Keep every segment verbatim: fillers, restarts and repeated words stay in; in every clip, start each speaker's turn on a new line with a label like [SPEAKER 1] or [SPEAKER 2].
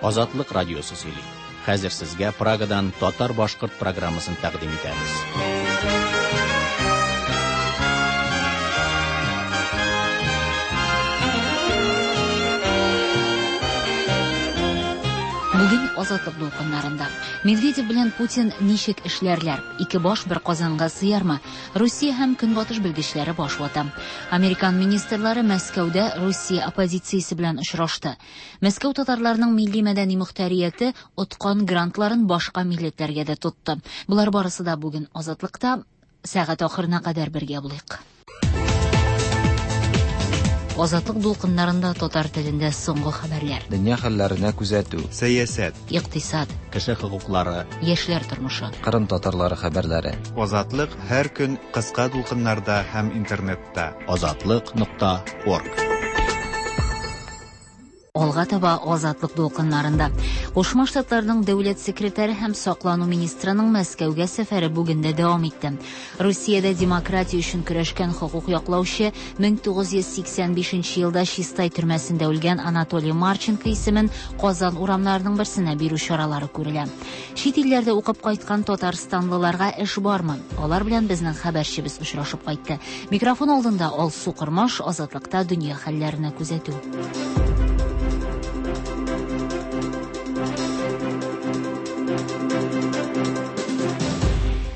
[SPEAKER 1] Азатлык радиосы сөйли. Хәзер сезгә Прагадан татар-башкорт программасын тәкъдим итәбез.
[SPEAKER 2] Бүген Азатлык дулкыннарында. Медведев белән Путин ничек эшләрләр? Ике баш бер казанга сыярмы? Русия һәм Көнбатыш белгечләре баш вата. Американ министрлары Мәскәүдә Русия оппозициясе белән очрашты. Мәскәү татарларының милли мәдәни мөхтәрияте откан грантларын башка милләтләргә дә тотты. Болар барысы да бүген Азатлыкта. Сәгать ахырына кадәр бергә булыйк. Азатлык дулкыннарында татар телендә соңгы хәбәрләр.
[SPEAKER 3] Дөнья хәлләренә күзәтү.
[SPEAKER 4] Сәясәт.
[SPEAKER 2] Икътисад.
[SPEAKER 1] Кеше хокуклары.
[SPEAKER 2] Яшьләр тормышы.
[SPEAKER 3] Кырым татарлары хәбәрләре.
[SPEAKER 4] Азатлык һәр көн кыска дулкыннарда һәм интернетта.
[SPEAKER 1] Азатлык нокта орг.
[SPEAKER 2] Алга таба Азатлык дулкыннарында. Кушма Штатларның дәүләт секретаре һәм саклану министрының Мәскәүгә сәфәре бүген дә дәвам итте. Русиядә демократия өчен көрәшкән хокук яклаучы мең тугыз йөз сиксән бишенче елда Чистай төрмәсендә үлгән Анатолий Марченко исемен Казан урамнарының берсенә бирү чаралары күрелә. Чит илләрдә укып кайткан татарстанлыларга эш бармы? Алар белән безнең хәбәрчебез очрашып кайтты. Микрофон алдында Алсу Кормаш, Азатлыкта дөнья хәлләренә күзәтү.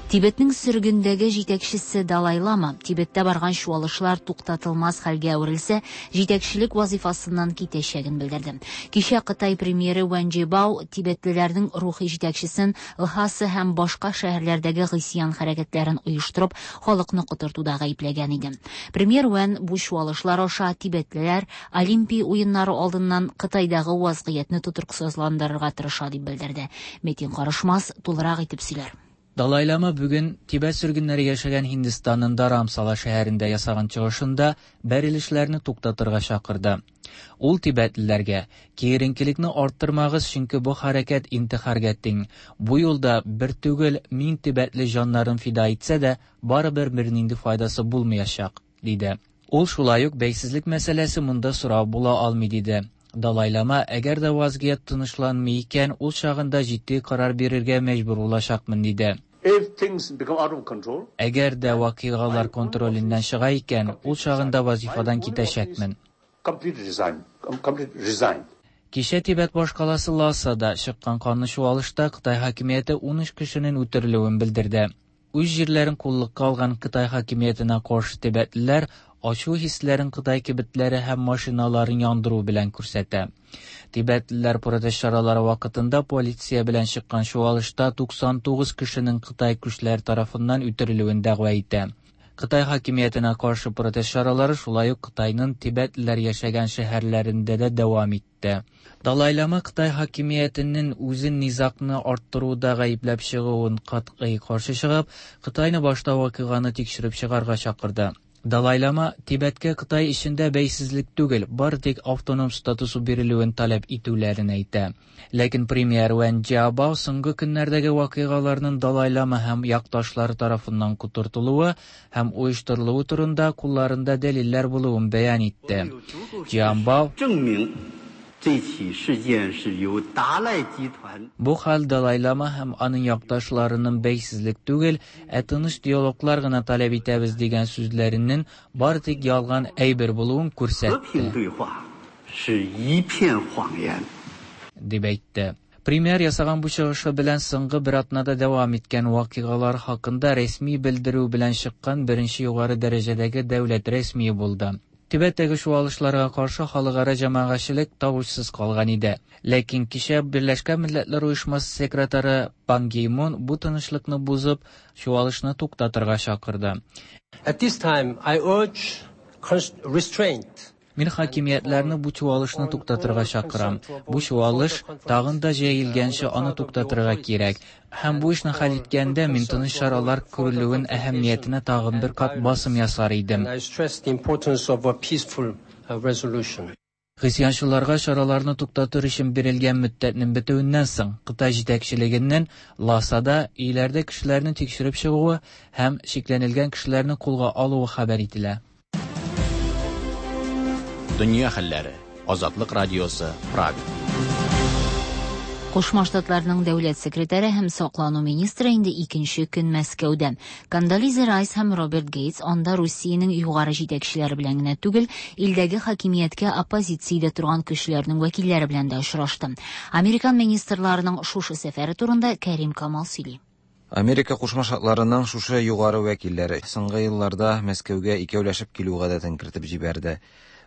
[SPEAKER 2] Тибетнең сөргендәге җитәкчесе Далай Лама Тибеттә барган чуалышлар туктатылмас хәлгә әверелсә, җитәкчелек вазифасыннан китәчәген белдерде. Кичә Кытай премьеры Вэн Джибао тибетлеләрнең рухи җитәкчесен Лхаса һәм башка шәһәрләрдәге гыйсьян хәрәкәтләрен оештырып, халыкны котыртуда гаепләгән иде. Премьер Вэн бу чуалышлар аша тибетлеләр Олимпия уеннары алдыннан Кытайдагы вазгыятьне тотрыксызландырырга тырыша дип белдерде. Метин Карышмас тулырак итеп сөйләр.
[SPEAKER 5] Далай Лама бүген Тибет сөргеннәре яшәгән Һиндстанның Dharamsala шәһәрендә ясаган чыгышында бәрелешләрне туктатырга чакырды. Ул тибетлеләргә киеренкелекне арттырмагыз, чөнки бу хәрәкәт интихарга тиң. Бу юлда бер түгел мең тибетле җаннарын фида итсә дә, барыбер бернинди файдасы булмаячак, диде. Ул шулай ук бәйсезлек мәсьәләсе монда сорау була алмый, диде. Далай Лама, әгәр дә вазгыять тынычланмый икән, ул чагында җитди карар бирергә мәҗбүр булачакмын, диде. Әгәр дә вакыйгалар контроленнән чыга икән, ул чагында вазифадан китәчәкмен. Кичә Тибет башкаласы Лхасада чыккан канлы чуалышта Кытай хакимияте ун өч кешенең үтерелүен белдерде. Үз җирләрен куллыкка алган Кытай хакимиятенә каршы тибетлеләр ачу хисләрен Кытай кибетләре һәм машиналарын яндыру белән күрсәтә. Тибетлеләр протест чаралары вакытында полиция белән чыккан чуалышта туксан тугыз кешенең Кытай көчләре тарафыннан үтерелүен дәгъва итә. Кытай хакимиятенә каршы протест чаралары шулай ук Кытайның тибетлеләр яшәгән шәһәрләрендә дә дәвам итте. Далай Лама Кытай хакимиятенең үзен низагны арттыруда гаепләп чыгуын катгый каршы чыгып, Кытайны башта вакыйганы тикшереп чыгарга чакырды. Далай Лама Тибеткә Кытай эчендә бәйсезлек түгел, бары тик автоном статусы бирелүен таләп итүләрен әйтә. Ләкин премьер Вэн Джиабао соңгы көннәрдәге вакыйгаларның Далай Лама һәм якташлары тарафыннан котыртылуы һәм оештырылуы турында кулларында дәлилләр булуын бәян итте. Джиабао Бу хәл Далай Лама һәм аның якташларының бәйсезлек түгел, ә тыныч диалоглар гына таләп итәбез дигән сүзләренең бары тик ялган әйбер булуын күрсәтте. Дип әйтте. Премьер ясаган бу чыгышы белән соңгы бер атнада дәвам иткән вакыйгалар хакында рәсми белдерү белән чыккан беренче югары дәрәҗәдәге дәүләт рәсмие булды. Тибеттәге чуалышларга каршы халыкара җәмәгатьчелек тавышсыз калган иде. Ләкин кичә Берләшкән Милләтләр Оешмасы секретаре Пан Ги Мун бу тынычлыкны бозып, чуалышны туктатырга чакырды.
[SPEAKER 6] At this time, I urge restraint.
[SPEAKER 5] Мин хакимиятләрне бу чуалышны туктатырга чакырам. Бу чуалыш тагын да җәелгәнче аны туктатырга кирәк. Һәм бу эшне хәл иткәндә мин тыныч чаралар күрелүен әһәмиятенә тагын бер кат басым ясар идем.
[SPEAKER 6] I stress the importance of a peaceful resolution.
[SPEAKER 5] Гыйсьянчыларга чараларны туктатыр өчен бирелгән мөддәтнең бетүеннән соң Кытай җитәкчелегеннән Лхасада өйләрдә кешеләрне тикшереп чыгуы һәм шикләнелгән кешеләрне кулга алуы хәбәр ителә.
[SPEAKER 1] Дөнья хәлләре. Азатлык радиосы, Прага.
[SPEAKER 2] Кушма Штатларның дәүләт секретаре һәм саклану министры инде икенче көн Мәскәүдә. Кондолиза Райс һәм Роберт Гейтс анда Русиянең югары җитәкчеләре белән генә түгел, илдәге хакимияткә оппозициядә торган көчләрнең вәкилләре белән дә очрашты. Американ министрларының шушы сәфәре турында Кәрим Камал сөйли.
[SPEAKER 3] Америка Кушма Штатларының шушы югары вәкилләре соңгы елларда Мәскәүгә икәүләшеп килү гадәтен кертеп җибәрде.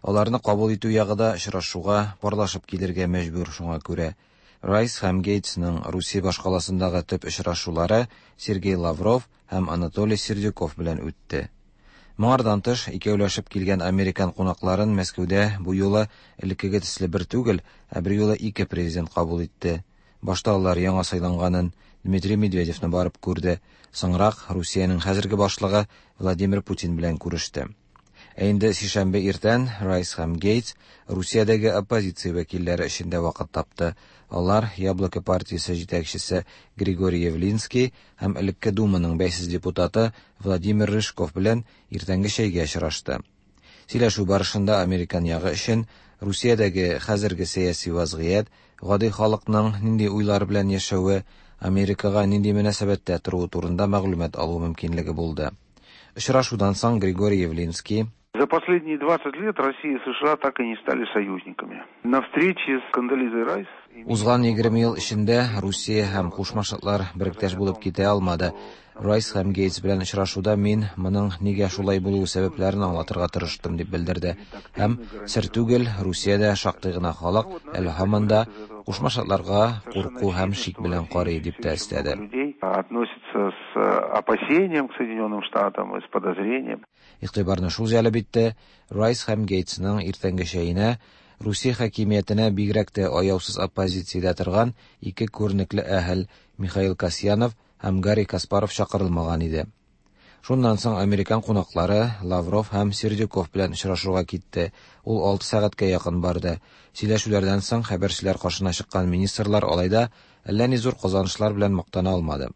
[SPEAKER 3] Аларны кабул итү ягы да очрашуга парлашып килергә мәҗбүр, шуңа күрә. Райс һәм Гейтсның Русия башкаласындагы төп очрашулары Сергей Лавров һәм Анатолий Сердюков белән үтте. Моңардан тыш, икәүләшеп килгән американ кунакларын Мәскәүдә бу юлы элеккеге төсле бер түгел, ә бер юлы ике президент кабул итте. Башта алар яңа сайланганын Дмитрий Медведевны барып күрде, соңрак Русиянең хәзерге башлыгы Владимир Путин белән күреште. Ә инде сишәмбе иртән Райс һәм Гейтс Русиядәге оппозиция вәкилләре өчен дә вакыт тапты. Алар Яблоко партиясе җитәкчесе Григорий Явлинский һәм элекке Думаның бәйсез депутаты Владимир Рыжков белән иртәнге чәйгә очрашты. Сөйләшү барышында американ ягы өчен Русиядәге хәзерге сәяси вазгыять, гади халыкның нинди уйлар белән яшәве, Америкага нинди мөнәсәбәттә торуы турында мәгълүмат алу мөмкинлеге булды. Очрашудан соң Григорий Явлинский:
[SPEAKER 7] За последние двадцать лет Россия и США так и не стали союзниками. На встрече с Кондолизой Райс
[SPEAKER 3] Узган егерме ел эчендә Русия һәм Кушма Штатлар беректәш булып китә алмады. Райс һәм Гейтс белән очрашуда мин моның нигә шулай булуы сәбәпләрен аңлатырга тырыштым, дип белдерде. Һәм сер түгел, Русиядә шактый гына халык әле һаман да Кушма Штатларга курку һәм шик белән карый, дип тә өстәде.
[SPEAKER 7] Относится с опасением к Соединенным Штатам и с подозрением.
[SPEAKER 3] Игътибарны шул җәлеп итте: Райс һәм Гейтсның иртәнге чәенә Русия хакимиятенә бигрәк тә аяусыз оппозициядә торган ике күренекле әһел Михаил Касьянов һәм Гарри Каспаров чакырылмаган иде. Шуннан соң американ кунаклары Лавров һәм Сердюков белән очрашуга китте. Ул алты сәгатькә якын барды. Сөйләшүләрдән соң хәбәрчеләр каршына чыккан министрлар алай да әллә ни зур казанышлар белән мактана алмады.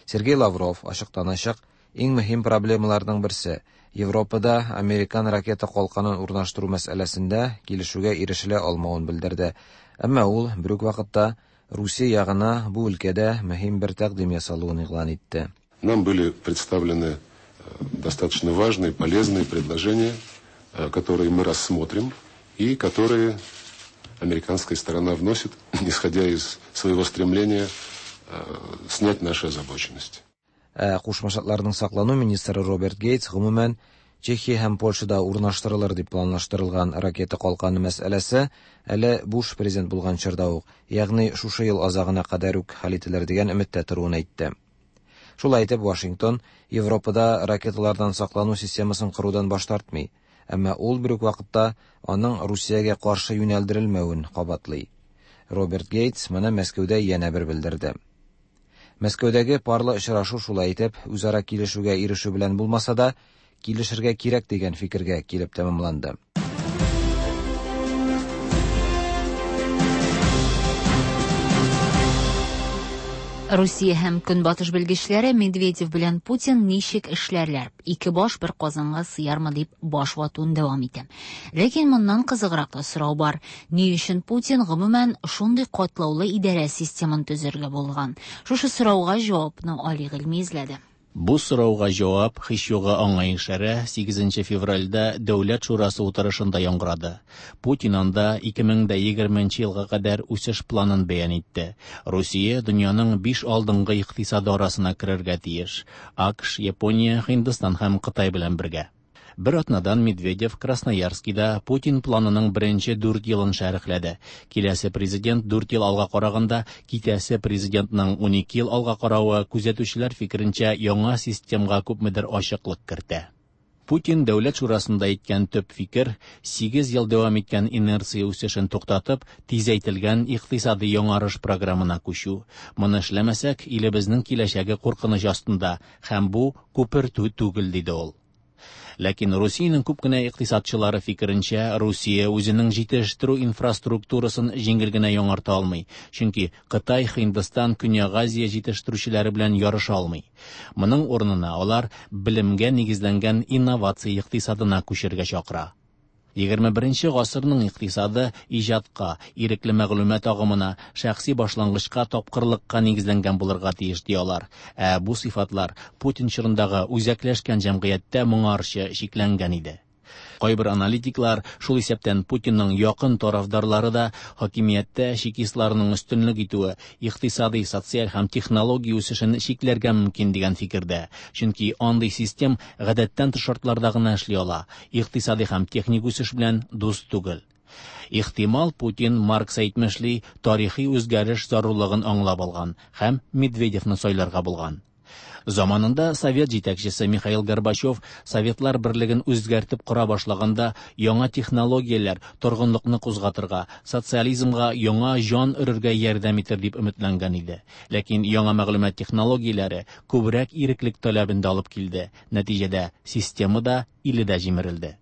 [SPEAKER 3] Сергей Лавров ачыктан-ачык иң мөһим проблемаларның берсе Европада американ ракета калканын урнаштыру мәсьәләсендә килешүгә ирешелә алмавын белдерде. Әмма ул бер үк вакытта Русия ягына бу өлкәдә мөһим бер тәкъдим ясалуын игълан итте.
[SPEAKER 8] Нам были представлены достаточно важные, полезные предложения, которые мы рассмотрим и которые американская сторона вносит, исходя из своего стремления снять нашу озабоченность.
[SPEAKER 3] Ә Кушма Штатларның саклану министры Роберт Гейтс гомумән Чехия һәм Польшада урнаштырылыр дип планлаштырылган ракета калканы мәсьәләсе әле Буш президент булган чорда ук, ягъни шушы ел азагына кадәр үк хәл ителер дигән өметтә торуын әйтте. Шулай итеп, Вашингтон Европада ракеталардан саклану системасын корудан баш тартмый, әмма ул бер үк вакытта аның Русиягә каршы юнәлдерелмәвен кабатлый. Роберт Гейтс моны Мәскәүдә янә бер белдерде. Мәскәүдәге парлы очрашу шулай итеп үзара килешүгә ирешү белән булмаса да, килешергә кирәк дигән фикергә килеп тәмамланды.
[SPEAKER 2] Русия һәм Көнбатыш белгечләре Медведев белән Путин ничек эшләрләр? Ике баш бер казанга сыярмы дип баш ватуын дәвам итә. Ләкин моннан кызыграк та сорау бар. Ни өчен Путин гомумән шундый катлаулы идарә системын төзергә булган? Шушы сорауга җавапны Али Гыйльми эзләде.
[SPEAKER 1] Бу сорауга җавап һич югы аңа ишарә сигезенче февральдә Дәүләт шурасы утырышында яңгырады. Путин анда ике мең дә егерменче елга кадәр үсеш планын бәян итте. Русия дөньяның биш алдынгы икътисады арасына керергә тиеш. АКШ, Япония, Һиндстан һәм Кытай белән бергә. Бер атнадан Медведев Красноярскида Путин планының беренче дүрт елын шәрехләде. Киләсе президент дүрт ел алга караганда, китәсе президентның унике ел алга каравы күзәтүчеләр фикеренчә яңа системга күпмедер ачыклык кертә. Путин Дәүләт шурасында әйткән төп фикер сигез ел дәвам иткән инерция үсешен туктатып, тизәйтелгән икътисади яңарыш программына күчү. Моны эшләмәсәк, илебезнең киләчәге куркыныч астында һәм бу күпертү түгел, диде ул. Ләкин Русиянең күп кенә икътисадчылары фикеренчә, Русия үзенең җитештерү инфраструктурасын җиңел генә яңарта алмый, чөнки Кытай, Һиндстан, Көньяк Азия җитештерүчеләре белән ярыша алмый. Моның урынына алар белемгә нигезләнгән инновация икътисадына күчергә чакыра. Егерме беренче гасырның икътисады иҗатка, ирекле мәгълүмат агымына, шәхси башлангычка, тапкырлыкка нигезләнгән булырга тиеш, ди алар. Ә бу сыйфатлар Путин чорындагы үзәкләшкән җәмгыятьтә моңарчы чикләнгән иде. Кайбер аналитиклар, шул исәптән Путинның якын тарафдарлары да, хакимияттә чекистларның өстенлек итүе икътисади, социаль һәм технология үсешен чикләргә мөмкин дигән фикердә. Чөнки андый систем гадәттән тыш шартларда гына эшли ала, икътисади һәм техник үсеш белән дус түгел. Ихтимал, Путин, Маркс әйтмешли, тарихи үзгәреш зарурлыгын аңлап алган һәм Медведевны сайларга булган. Заманында Совет җитәкчесе Михаил Горбачев Советлар берлеген үзгәртеп кора башлаганда яңа технологияләр торгынлыкны кузгатырга, социализмга яңа җан өрергә ярдәм итер дип өметләнгән иде. Ләкин яңа мәгълүмат технологияләре күбрәк иреклек таләбен дә алып килде. Нәтиҗәдә система да, иле дә җимерелде.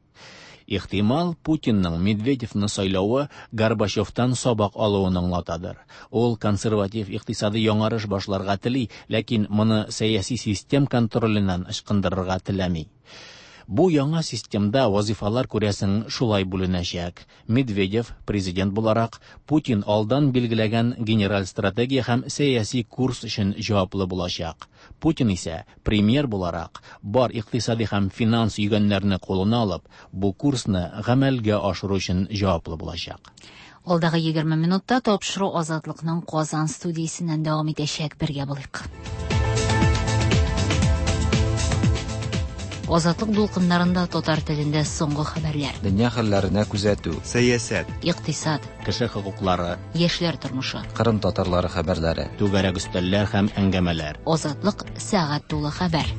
[SPEAKER 1] Ихтимал, Путинның Медведевны сайлавы Горбачевтан сабак алуын аңлатадыр. Ул консерватив икътисади яңарыш башларга тели, ләкин моны сәяси систем контроленнән ычкындырырга теләми. Бу яңа системда вазифалар күрәсең шулай бүленәчәк. Медведев президент буларак Путин алдан билгеләгән генераль стратегия һәм сәяси курс өчен җаваплы булачак. Путин исә премьер буларак бар икътисади һәм финанс йөгәннәрне кулына алып, бу курсны гамәлгә ашыру өчен җаваплы булачак.
[SPEAKER 2] Алдагы егерме минутта тапшыру Азатлыкның Казан студиясеннән дәвам итәчәк. Бергә булыйк. Азатлык дулкыннарында татар телендә соңгы хәбәрләр.
[SPEAKER 3] Дөнья хәлләренә күзәтү.
[SPEAKER 4] Сәясәт.
[SPEAKER 2] Икътисад.
[SPEAKER 1] Кеше хокуклары.
[SPEAKER 2] Яшьләр тормышы.
[SPEAKER 3] Кырым татарлары хәбәрләре.
[SPEAKER 1] Түгәрәк өстәлләр һәм әңгәмәләр.
[SPEAKER 2] Азатлык сәгать тулы хәбәр.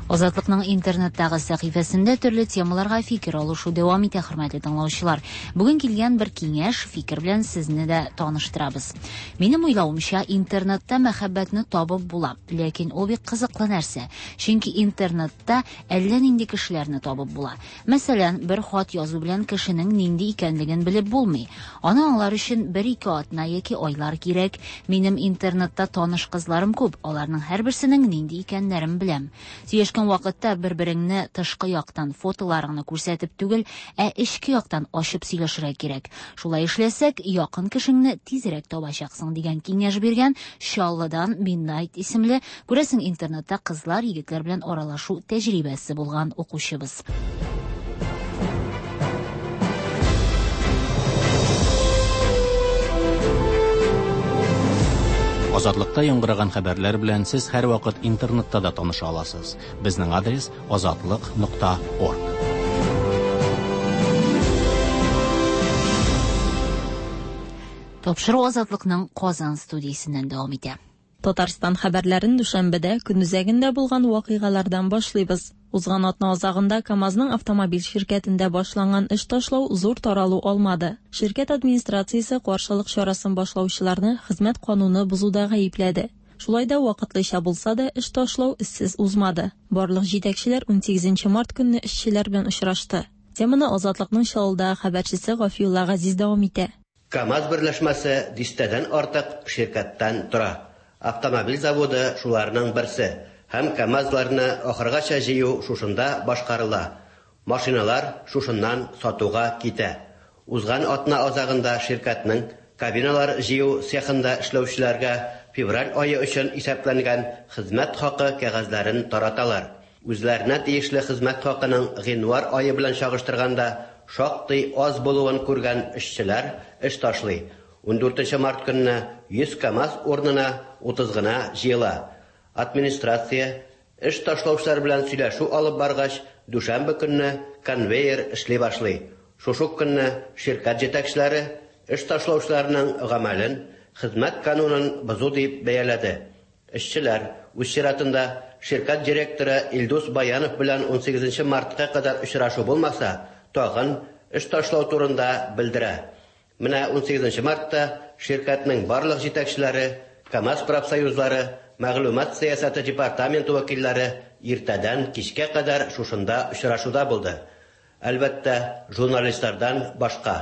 [SPEAKER 2] Азатлыкның интернеттагы сәхифәсендә төрле темаларга фикер алышу дәвам итә, хөрмәтле тыңлаучылар. Бүген килгән бер киңәш, фикер белән сезне дә таныштырабыз. Минем уйлавымча, интернетта мәхәббәтне табып була, ләкин ул бик кызыклы нәрсә. Чөнки интернетта әллә нинди кешеләрне табып була. Мәсәлән, бер хат язу белән кешенең нинди икәнлеген белеп булмый. Аны аңлар өчен бер-ике атна яки айлар кирәк. Минем интернетта таныш кызларым күп, аларның һәрберсенең нинди икәннәрен беләм. Сөйләшкән вакытта бер-береңне тышкы яктан фотоларыңны күрсәтеп түгел, ә эчке яктан ачып сөйләшергә кирәк. Шулай эшләсәк, якын кешеңне тизрәк табачаксың дигән киңәш биргән Чаллыдан Midnight исемле, күрәсең, интернетта кызлар, егетләр белән аралашу тәҗрибәсе булган укучыбыз.
[SPEAKER 1] Азатлыкта яңгыраган хәбәрләр белән сез һәрвакыт интернетта да таныша аласыз. Безнең адрес азатлык нокта орг.
[SPEAKER 2] Тапшыру Азатлыкның Казан студиясеннән дәвам итә.
[SPEAKER 9] Татарстан хәбәрләрен дүшәмбедә көнүзәгендә булган вакыйгалардан башлыйбыз. Узган атна азагында КАМАЗның автомобиль ширкәтендә башланган эш ташлау зур таралу алмады. Ширкәт администрациясе каршылык чарасын башлаучыларны хезмәт кануны бозуда гаепләде. Шулай да вакытлыча булса да эш ташлау эзсез узмады. Барлык җитәкчеләр унсигезенче март көнне эшчеләр белән очрашты. Теманы Азатлыкның Чаллыдагы хәбәрчесе Гафиулла Газиз дәвам итә.
[SPEAKER 10] КАМАЗ берләшмәсе дистәдән артык ширкәттән тора. Автомобиль заводы шуларның берсе. Һәм КАМАЗларны ахыргача җыю шушында башкарыла. Машиналар шушыннан сатуга китә. Узган атна азагында ширкәтнең кабиналар җыю цехында эшләүчеләргә февраль ае өчен исәпләнгән хезмәт хакы кәгазьләрен тараталар. Үзләренә тиешле хезмәт хакының гыйнвар ае белән чагыштырганда шактый аз булуын күргән эшчеләр эш ташлый. Ундүртенче март көнне йөз КАМАЗ урынына утыз гына җыела. Администрация эш ташлаучылар белән сөйләшү алып баргач, дүшәмбе көнне конвейер эшли башлый. Шушы көнне ширкәт җитәкчеләре эш ташлаучыларның гамәлен хезмәт канунын бозу дип бәяләде. Эшчеләр үз чиратында ширкәт директоры Илдус Баянов белән унсигезенче мартка кадәр очрашу булмаса, тагын эш ташлау турында белдерә. Менә унсигезенче мартта ширкәтнең барлык җитәкчеләре, КАМАЗ профсоюзлары, мәгълүмат сәясәте департаменты вәкилләре иртәдән кичкә кадәр шушында очрашуда булды. Әлбәттә, журналистлардан башка.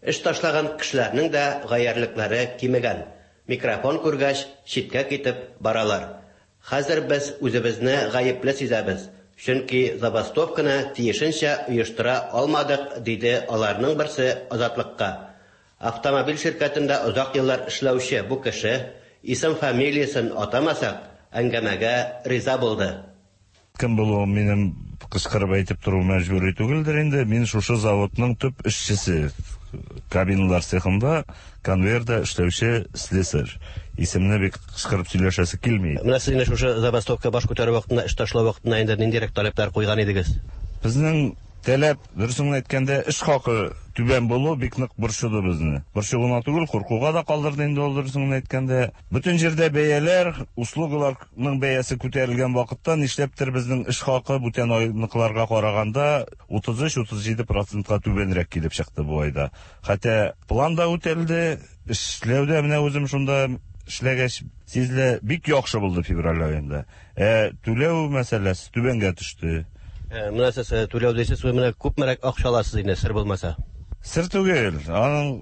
[SPEAKER 10] Эш ташлаган кешеләрнең дә гаярлекләре кимегән. Микрофон күргәч, читкә китеп баралар. Хәзер без үзебезне гаепле сизәбез. Чөнки забастовканы тиешенчә оештыра алмадык, диде аларның берсе Азатлыкка. Автомобиль ширкәтендә озак еллар эшләүче бу кеше, исем-фамилиясен атамасак, әңгәмәгә риза булды.
[SPEAKER 11] Кем булуым минем кычкырып әйтеп тору мәҗбүри түгелдер инде. Мин шушы заводның төп эшчесе. Кабиналар цехында конвейерда эшләүче слесарь. Исемне бик кычкырып сөйләшәсе килми.
[SPEAKER 10] Менә сез инде шушы забастовка баш күтәрү вакытында, эш ташлау вакытында инде ниндирәк таләпләр куйган идегез?
[SPEAKER 11] Безнең таләп, дөресен генә әйткәндә, эш хакы түбән булу бик нык борчыды безне. Борчу гына түгел, куркуга да калдырды инде ул, дөресен генә әйткәндә. Бөтен җирдә бәяләр, услугаларның бәясе күтәрелгән вакытта нишләптер безнең эш хакы бүтән айныкыларга караганда утыз өч утыз җиде процентка түбәнрәк килеп чыкты бу айда. Хәтта план да үтәлде, эшләүдә менә үзем шунда эшләгәч сизелә, бик яхшы булды февраль аенда. Ә түләү мәсьәләсе түбәнгә төште.
[SPEAKER 10] Менә сез түләү дисез, менә күпмерәк акча аласыз инде, сер булмаса?
[SPEAKER 11] Сер түгел. Аның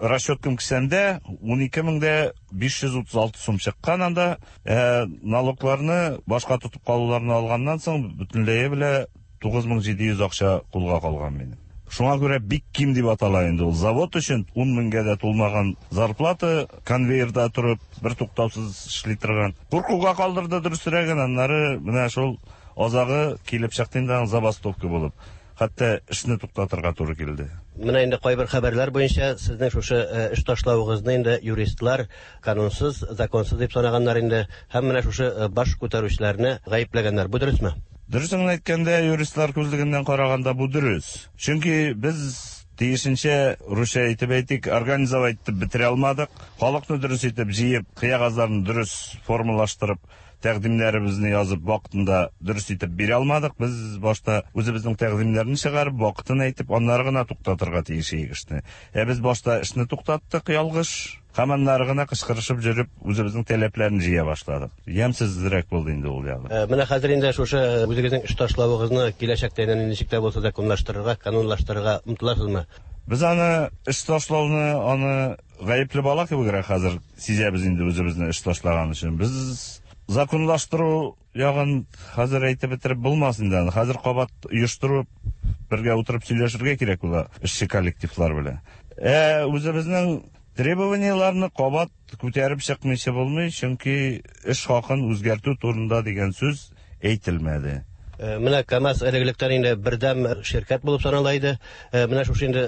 [SPEAKER 11] расчеткам кесәмдә ун ике мең дә биш йөз утыз алты сум чыккан анда. Ә налогларны башка тотып калуларны алганнан соң бөтенләе белә тугыз мең җиде йөз акча кулга калган минем. Шуңа күрә бик ким дип атала инде ул. Завод өчен ун меңгә дә тулмаган зарплата, конвейерда торып, бер туктаусыз эшли торган. Куркуга калдырды дөресрәген, аннары менә шул азагы килеп чыкты инде аның забастовка булып. Хәтта эшне туктатырга туры килде.
[SPEAKER 10] Менә инде кайбер хәбәрләр буенча сезнең шушы эш ташлавыгызны инде юристлар канунсыз, законсыз дип санаганнар инде һәм менә шушы баш күтәрүчеләрне гаепләгәннәр. Бу дөресме?
[SPEAKER 11] Дөресен әйткәндә, юристлар күзлегеннән караганда бу дөрес. Чөнки без тиешенчә, русча әйтеп әйтик, организовать итеп бетерә алмадык. Халыкны дөрес итеп җыеп, кыягазларны дөрес формалаштырып, тәкъдимнәребезне язып вакытында дөрес итеп бирә алмадык. Без башта үзебезнең тәкъдимнәрне чыгарып, вакытын әйтеп, аннары гына туктатырга тиеш идек эшне. Ә без башта эшне туктаттык ялгыш, һәм аннары гына кычкырышып йөреп, үзебезнең таләпләрне җыя башладык. Ямьсезрәк булды инде ул ягы.
[SPEAKER 10] Менә хәзер инде шушы үзегезнең эш ташлавыгызны киләчәктә инде ничек тә булса законлаштырырга, канунлаштырырга омтыласызмы?
[SPEAKER 11] Без аны эш ташлауны, аны гаепле бала кебегрәк хәзер сизәбез инде үзебезне эш ташлаган өчен. Без законлаштыру ягын хәзер әйтеп бетереп булмас инде аны. Хәзер кабат оештырып, бергә утырып сөйләшергә кирәк була эшче коллективлар белән. Ә үзебезнең требованияләрне кабат күтәреп чыкмыйча булмый, чөнки эш хакын үзгәртү турында дигән сүз әйтелмәде.
[SPEAKER 10] Менә КАМАЗ элек-электән инде бердәм ширкәт булып санала иде. Менә шушы инде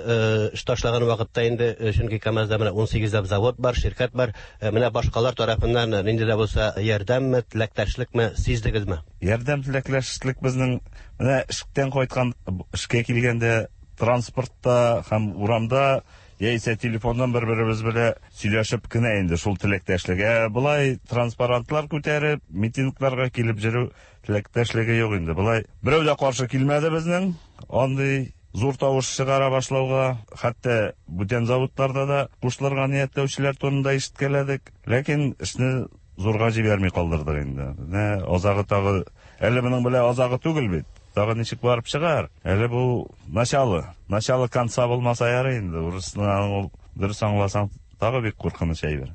[SPEAKER 10] эш ташлаган вакытта инде, чөнки КАМАЗда менә ун сигезләп завод бар, ширкәт бар. Менә башкалар тарафыннан нинди дә булса ярдәмме, теләктәшлекме сиздегезме?
[SPEAKER 11] Ярдәм, теләктәшлек безнең менә эштән кайткан, эшкә килгәндә транспортта һәм урамда яисә телефоннан бер-беребез белән сөйләшеп кенә инде шул теләктәшлек. Ә болай транспарантлар күтәреп, митингларга килеп йөрү теләктәшлеге юк инде. Болай берәү дә каршы килмәде безнең андый зур тавыш чыгара башлауга, хәтта бүтән заводларда да кушылырга ниятләүчеләр турында ишеткәләдек. Ләкин эшне зурга җибәрми калдырдык инде. Менә азагы тагы, әле моның белән азагы түгел бит. Тагы ничек барып чыгар? Әле бу начало, начало конца булмаса ярый инде. Урысны ул дөрес аңласаң, тагы бик куркыныч әйбер.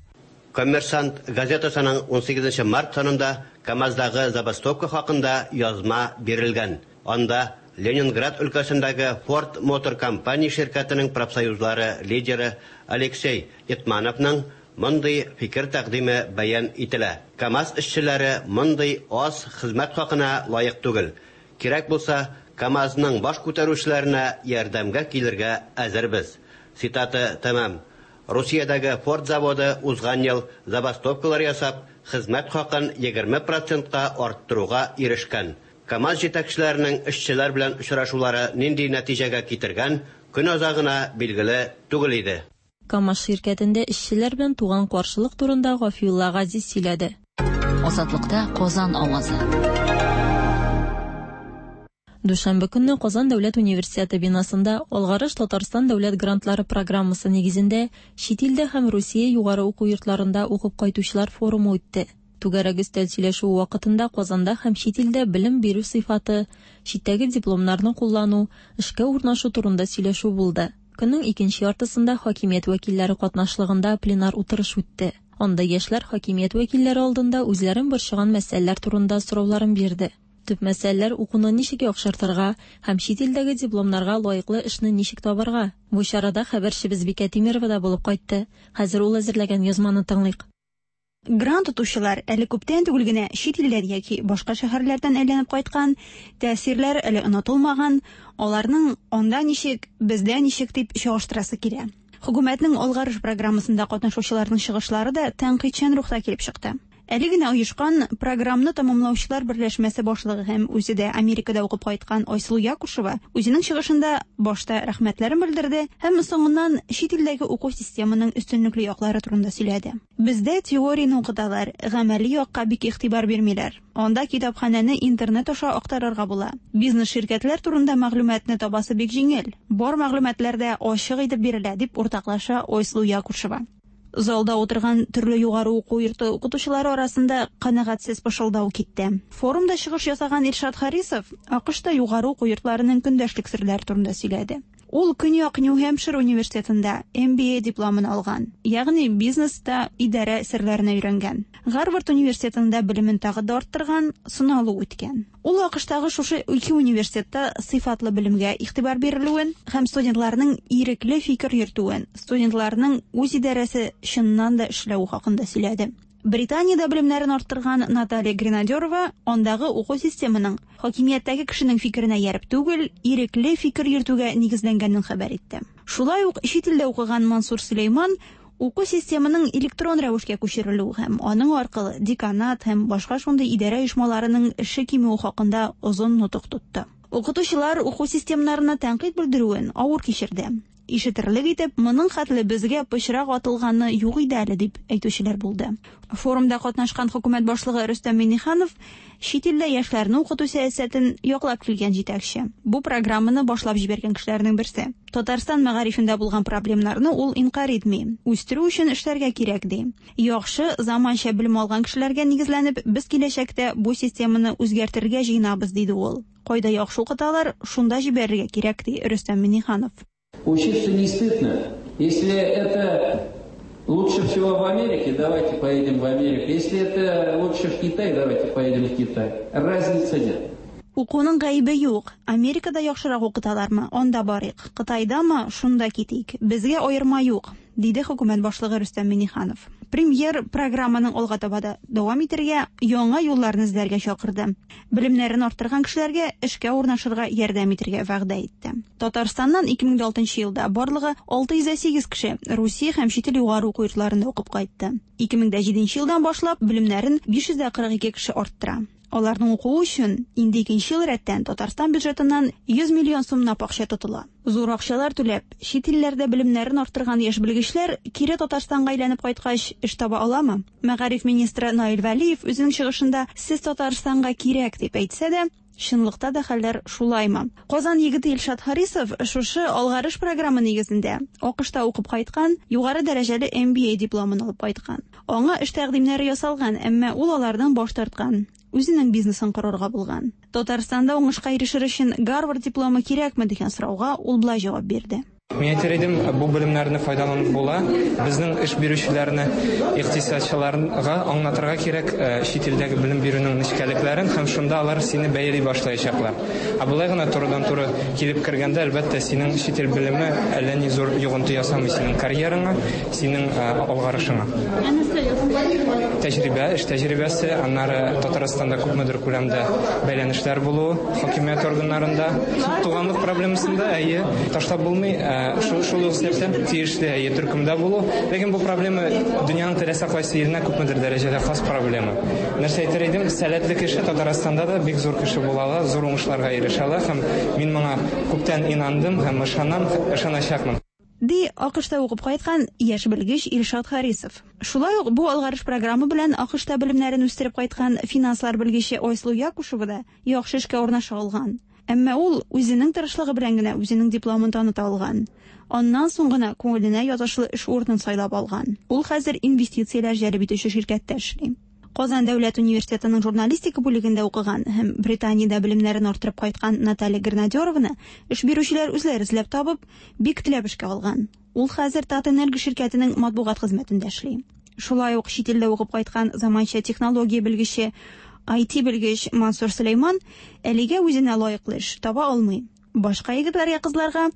[SPEAKER 10] Коммерсант газетасының ун сигезенче март санында КАМАЗдагы забастовка хакында язма бирелгән. Анда Ленинград өлкәсендәге Ford Motor Company ширкәтенең профсоюзлары лидеры Алексей Итмановның мондый фикер тәкъдиме бәян ителә. КАМАЗ эшчеләре мондый аз хезмәт хакына лаек түгел. Кирәк булса, КАМАЗның баш күтәрүчеләренә ярдәмгә килергә әзербез. Цитата тәмам. Русиядәге Ford заводы узган ел забастовкалар ясап, хезмәт хакын егерме процентка арттыруга ирешкән. КАМАЗ җитәкчеләренең эшчеләр белән очрашулары нинди нәтиҗәгә китергән, көн азагына билгеле түгел иде.
[SPEAKER 9] КАМАЗ ширкәтендә эшчеләр белән туган каршылык турында Гафиулла Газиз сөйләде.
[SPEAKER 2] Азатлыкта Казан авазы.
[SPEAKER 9] Дүшәмбе көнне Казан дәүләт университеты бинасында Алгарыш Татарстан дәүләт грантлары программасы нигезендә чит илдә һәм Русия югары уку йортларында укып кайтучылар форумы үтте. Түгәрәк өстәл сөйләшүе вакытында Казанда һәм чит илдә белем бирү сыйфаты, читтәге дипломнарны куллану, эшкә урнашу турында сөйләшү булды. Көннең икенче яртысында хакимият вәкилләре катнашлыгында пленар утырыш үтте. Анда яшьләр хакимият вәкилләре алдында үзләрен борчыган мәсьәләләр турында сорауларын бирде. Төп мәсьәләләр укуны ничек яхшыртырга һәм чит илдәге дипломнарга лаеклы эшне ничек табарга. Бу чарада хәбәрчебез Бикә Тимирова да булып кайтты. Хәзер ул әзерләгән язманы тыңлыйк.
[SPEAKER 12] Грант отучылар әле күптән түгел генә чит илдән яки башка шәһәрләрдән әйләнеп кайткан, тәэсирләр әле онытылмаган, аларның анда ничек, бездә ничек дип чагыштырасы килә. Хөкүмәтнең Алгарыш программасында катнашучыларның чыгышлары да тәнкыйтьчән рухта килеп чыкты. Әле генә оешкан программны тәмамлаучылар берләшмәсе башлыгы һәм үзе дә Америкада укып кайткан Айсылу Якушева үзенең чыгышында башта рәхмәтләрен белдерде һәм соңыннан чит илдәге уку системының өстенлекле яклары турында сөйләде. Бездә теорияне укыталар, гамәли якка бик игътибар бирмиләр. Анда китапханәне интернет аша актарырга була. Бизнес ширкәтләр турында мәгълүматны табасы бик җиңел. Бар мәгълүматлар да ачык итеп бирелә, дип уртаклаша Айсылу Якушева. Залда утырган төрле югары уку йорты укытучылары арасында канәгатьсез пышылдау китте. Форумда чыгыш ясаган Илшат Харисов АКШта югары уку йортларының көндәшлек серләре турында сөйләде. Ул Көньяк Нью-Хэмпшир университетында М Б А дипломын алган, ягъни бизнеста идарә серләренә өйрәнгән. Гарвард университетында белемен тагы да арттырган, сыналу үткән. Ул АКШтагы шушы ике университетта сыйфатлы белемгә игътибар бирелүен һәм студентларның ирекле фикер йөртүен, студентларның үз идарәсе чыннан да эшләве хакында сөйләде. Британиядә белемнәрен арттырган Наталья Гренадерова андагы уку системының хакимияттәге кешенең фикеренә ярып түгел, ирекле фикер йөртүгә нигезләнгәнен хәбәр итте. Шулай ук чит илдә укыган Мансур Сөләйман уку системының электрон рәвешкә күчерелүе һәм аның аркылы деканат һәм башка шундый идарә оешмаларының эше кимүе хакында озын нотык тотты. Укытучылар уку системнарына тәнкыйть белдерүен авыр кичерде. Ишетерлек итеп, моның хәтле безгә пычрак атылганы юк иде әле дип әйтүчеләр булды. Форумда катнашкан хөкүмәт башлыгы Рөстәм Миңнеханов чит илдә яшьләрне укыту сәясәтен яклап килгән җитәкче. Бу программаны башлап җибәргән кешеләрнең берсе. Татарстан мәгарифендә булган проблемнарны ул инкарь итми. Үстерү өчен эшләргә кирәк ди. Яхшы заманча белем алган кешеләргә нигезләнеп, без киләчәктә бу системаны үзгәртергә җыенабыз, диде ул. Кайда яхшы укыталар, шунда җибәрергә кирәк, ди Рөстәм Миңнеханов.
[SPEAKER 13] Учиться не стыдно. Если это лучше всего в Америке, давайте поедем в Америку. Если это лучше в Китай, давайте поедем в Китай. Разницы нет.
[SPEAKER 12] Укуның гаебе юк. Америкада яхшырак укыталармы? Анда барыйк. Кытайдамы? Шунда китик. Безгә аерма юк, диде хөкүмәт башлыгы Рөстәм Миңнеханов. Премьер программаның алга таба да дәвам итәргә, яңа юлларны эзләргә чакырды. Белемнәрен арттырган кешеләргә эшкә урнашырга ярдәм итәргә вәгъдә итте. Татарстаннан ике мең алтынчы елда барлыгы алты йөз сигез кеше Русия һәм чит ил югары уку йортларында укып кайтты. Ике мең җиденче елдан башлап белемнәрен биш йөз кырык ике кеше арттыра. Аларның укуы өчен инде икенче ел рәттән Татарстан бюджетыннан йөз миллион сумлап акча тотыла. Зур акчалар түләп, чит илләрдә белемнәрен арттырган яшь белгечләр кире Татарстанга әйләнеп кайткач эш таба аламы? Мәгариф министры Наил Вәлиев үзенең чыгышында сез Татарстанга кирәк дип әйтсә дә, чынлыкта да хәлләр шулаймы? Казан егете Илшат Харисов шушы Алгарыш программы нигезендә АКШта укып кайткан, югары дәрәҗәле М Б А дипломын алып кайткан. Аңа эш тәкъдимнәре ясалган, әмма ул алардан баш тарткан. Үзенең бизнесын корырга булган. Татарстанда уңышка ирешер өчен Гарвард дипломы кирәкме дигән сорауга ул болай җавап бирде.
[SPEAKER 14] Мин әйтер идем, бу белемнәрне файдаланып була. Безнең эш бирүчеләрне, икътисадчыларга аңлатырга кирәк, э, чит илдәге белем бирүнең нечкәлекләрен һәм шунда алар сине бәяли башлаячаклар. Ә болай гына турыдан-туры килеп кергәндә, әлбәттә, синең чит ил белеме әллә ни зур йогынты ясамый синең карьераңа, синең, э, алгарышыңа. Тәҗрибә, эш тәҗрибәсе, аннары Татарстанда күпмедер күләмдә бәйләнешләр булуы хакимият органнарында, туганлык проблемасында, әйе, ташлап булмый, э, шул, шул ук сәбәптән тиешле, әйе, төркемдә булу. Ләкин бу проблема дөньяның теләсә кайсы иленә күпмедер дәрәҗәдә хас проблема. Нәрсә әйтер идем, сәләтле кеше Татарстанда да бик зур кеше була ала, зур уңышларга ирешә ала һәм мин моңа күптән инандым һәм ышанам, ышаначакмын.
[SPEAKER 12] Ди АКШта укып кайткан яшь белгеч Илшат Харисов. Шулай ук бу Алгарыш программы белән АКШта белемнәрен үстереп кайткан финанслар белгече Айсылу Якушева да яхшы эшкә урнаша алган. Әмма ул үзенең тырышлыгы белән генә үзенең дипломын таныта алган. Аннан соң гына күңеленә ятышлы эш урынын сайлап алган. Ул хәзер инвестицияләр җәлеп итүче ширкәттә эшли. Казан дәүләт университетының журналистика бүлегендә укыган һәм Британиядә белемнәрен арттырып кайткан Наталья Гренадерованы эш бирүчеләр үзләре эзләп табып, бик теләп эшкә алган. Ул хәзер Татэнерго ширкәтенең матбугат хезмәтендә эшли. Шулай ук чит илдә укып кайткан заманча технология белгече I T белгеч Мансур Сөләйман әлегә үзенә лаеклы эш таба алмый. Башка егетләргә, кызларга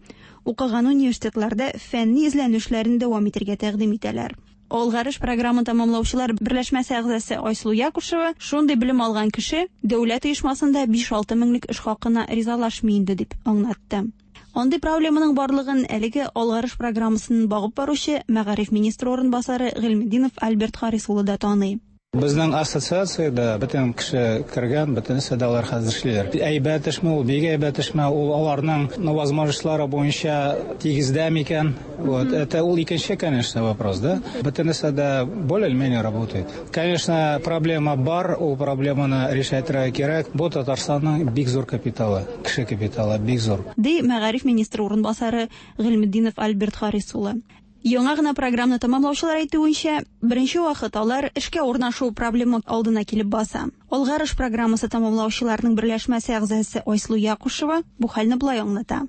[SPEAKER 12] укыган университетларда фәнни эзләнүләрен дәвам итәргә тәкъдим итәләр. Алгарыш програмын тәмамлаучылар берләшмәсе әгъзасы Айсылу Якушева шундый белем алган кеше дәүләт оешмасында биш-алты меңлек эш хакына ризалашмый инде дип аңлатты. Андый проблеманың барлыгын әлеге Алгарыш программасын багып баручы мәгариф министры урынбасары Гыйльметдинов Альберт Харис улы да таный.
[SPEAKER 15] Безнең ассоциациядә бөтен кеше кергән, бөтенесе дә алар хәзер эшлиләр. Әйбәт эшме ул, бик әйбәт эшме ул, аларның, ну, возможностьлары буенча тигездә микән? Вот, это ул икенче, конечно, вопрос, да? Бөтенесе дә более или менее работает. Конечно, проблема бар, ул проблеманы решать кирәк. Бу Татарстанның бик зур капиталы, кеше капиталы бик зур.
[SPEAKER 12] Ди мәгариф министры урынбасары Гыйльметдинов Альберт Харис улы. Яңа гына программаны тәмамлаучылар әйтүенчә, беренче вакыт алар эшкә урнашу проблема алдына килеп баса. Алгарыш программасы тәмамлаучыларның берләшмәсе әгъзасы Айсылу Якушева бу хәлне болай аңлата.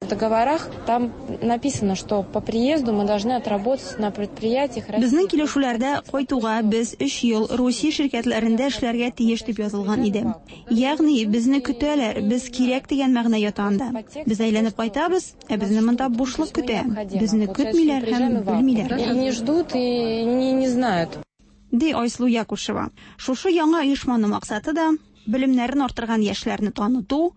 [SPEAKER 16] В договорах там написано, что по приезду мы должны отработать на предприятиях.
[SPEAKER 12] Безнең килешүләрдә кайтуга без өч ел Русия ширкәтләрендә эшләргә тиеш дип язылган иде. Ягъни безне көтәләр, без кирәк дигән мәгънә ята анда. Без әйләнеп кайтабыз, ә безне монда бушлык көтә. Безне көтмиләр һәм белмиләр.
[SPEAKER 16] И не ждут, и не, не знают.
[SPEAKER 12] Ди Айсылу Якушева. Шушы яңа оешманың максаты да белемнәрен арттырган яшьләрне таныту,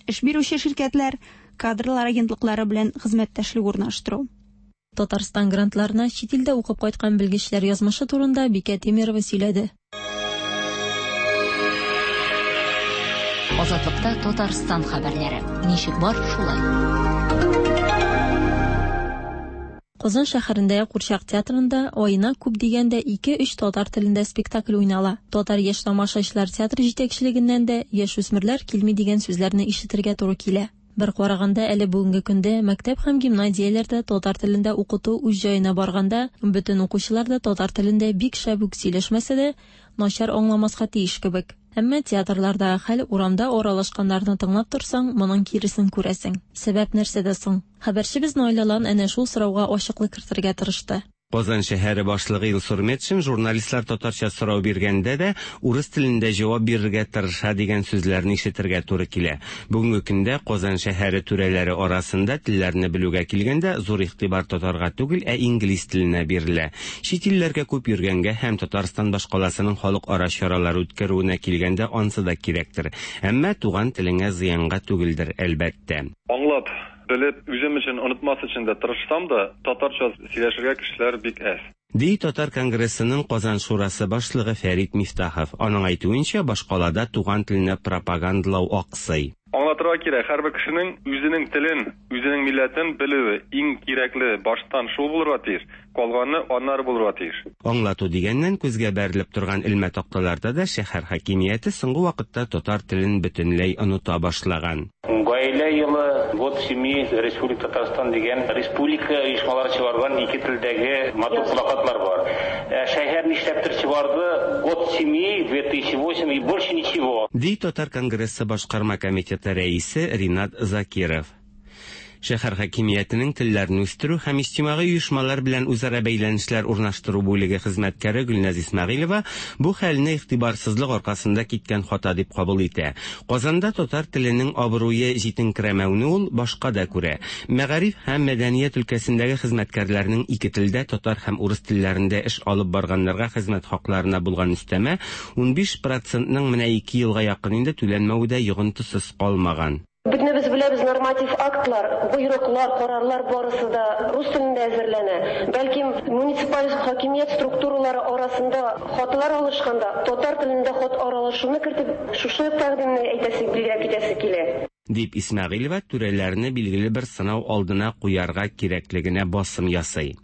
[SPEAKER 12] эш бирүче ширкәтләр, кадрлар агентлыклары белән хезмәттәшлек урнаштыру.
[SPEAKER 9] Татарстан грантларына чит илдә укып кайткан белгечләр язмышы турында Бикә Тимирова сөйләде.
[SPEAKER 2] Азатлыкта Татарстан хәбәрләре. Ничек бар, шулай.
[SPEAKER 9] Казан шәһәрендәге Курчак театрында аена күп дигәндә ике-өч татар телендә спектакль уйнала. Татар яшь тамашачылар театры җитәкчелегеннән дә яшүсмерләр килми дигән сүзләрне ишетергә туры килә. Бер караганда, әле бүгенге көндә мәктәп һәм гимназияләрдә татар телендә укыту үз җаена барганда, бөтен укучылар да татар телендә бик шәп үк сөйләшмәсә дә, начар аңламаска тиеш кебек. Әмма театрлардагы хәл, урамда аралашканнарны тыңлап торсаң, моның киресен күрәсең. Сәбәп нәрсәдә соң? Хәбәрчебез Наилә Лан әнә шул сорауга ачыклык кертергә тырышты.
[SPEAKER 17] Казан шәһәре башлыгы Илсур Метшин журналистлар татарча сорау биргәндә дә урыс телендә җавап бирергә тырыша дигән сүзләрне ишетергә туры килә. Бүгенге көндә Казан шәһәре түрәләре арасында телләрне белүгә килгәндә зур игътибар татарга түгел, ә инглиз теленә бирелә. Чит илләргә күп йөргәнгә һәм Татарстан башкаласының халыкара чаралар үткәрүенә килгәндә ансы да кирәктер. Әмма туган телеңә зыянга түгелдер, әлбәттә.
[SPEAKER 18] Аңлап, белеп, үзем өчен онытмас өчен дә тырышсам да, татарча сөйләшергә кешеләр бик әз.
[SPEAKER 17] Ди Татар конгрессының Казан шурасы башлыгы Фәрит Мифтахов. Аның әйтүенчә, башкалада туган телене пропагандалау аксый.
[SPEAKER 18] Аңлатырга кирәк, һәрбер кешенең үзенең телен, үзенең милләтен белүе иң кирәкле, баштан шул булырга тиеш, калганы аннары булырга тиеш.
[SPEAKER 17] Аңлату дигәннән, күзгә бәрелеп торган элмә такталарда да шәһәр хакимияте соңгы вакытта татар телен бөтенләй оныта башлаган.
[SPEAKER 19] Гаилә елы, год семьи, Республика Татарстан дигән республика оешмалары чыгарган ике телдәге матур плакатлар бар. Шәһәр нишләптер чыгарды год семьи две тысячи восемь и больше ничего.
[SPEAKER 17] Ди Татар конгрессы башкарма комитеты рәисе Ринат Закиров. Шәһәр хакимиятенең телләрне үстерү һәм иҗтимагый оешмалар белән үзара бәйләнешләр урнаштыру бүлеге хезмәткәре Гөлназ Исмәгыйлева бу хәлне игътибарсызлык аркасында киткән хата дип кабул итә. Казанда татар теленең абруе җитенкерәмәүне ул башка да күрә. Мәгариф һәм мәдәният өлкәсендәге хезмәткәрләрнең ике телдә, татар һәм урыс телләрендә эш алып барганнарга хезмәт хакларына булган өстәмә унбиш процентның менә ике елга якын инде түләнмәве дә йогынтысыз калмаган.
[SPEAKER 20] Бөтенебез беләбез, норматив актлар, боерыклар, карарлар барысы да рус телендә әзерләнә. Бәлкем, муниципаль хакимият структуралары арасында хатлар алышканда татар телендә хат аралашуны кертеп, шушы тәкъдимне әйтәсе, билгеләп китәсе килә.
[SPEAKER 17] Дип Исмәгыйлева түрәләрне билгеле бер сынау алдына куярга кирәклегенә басым ясый.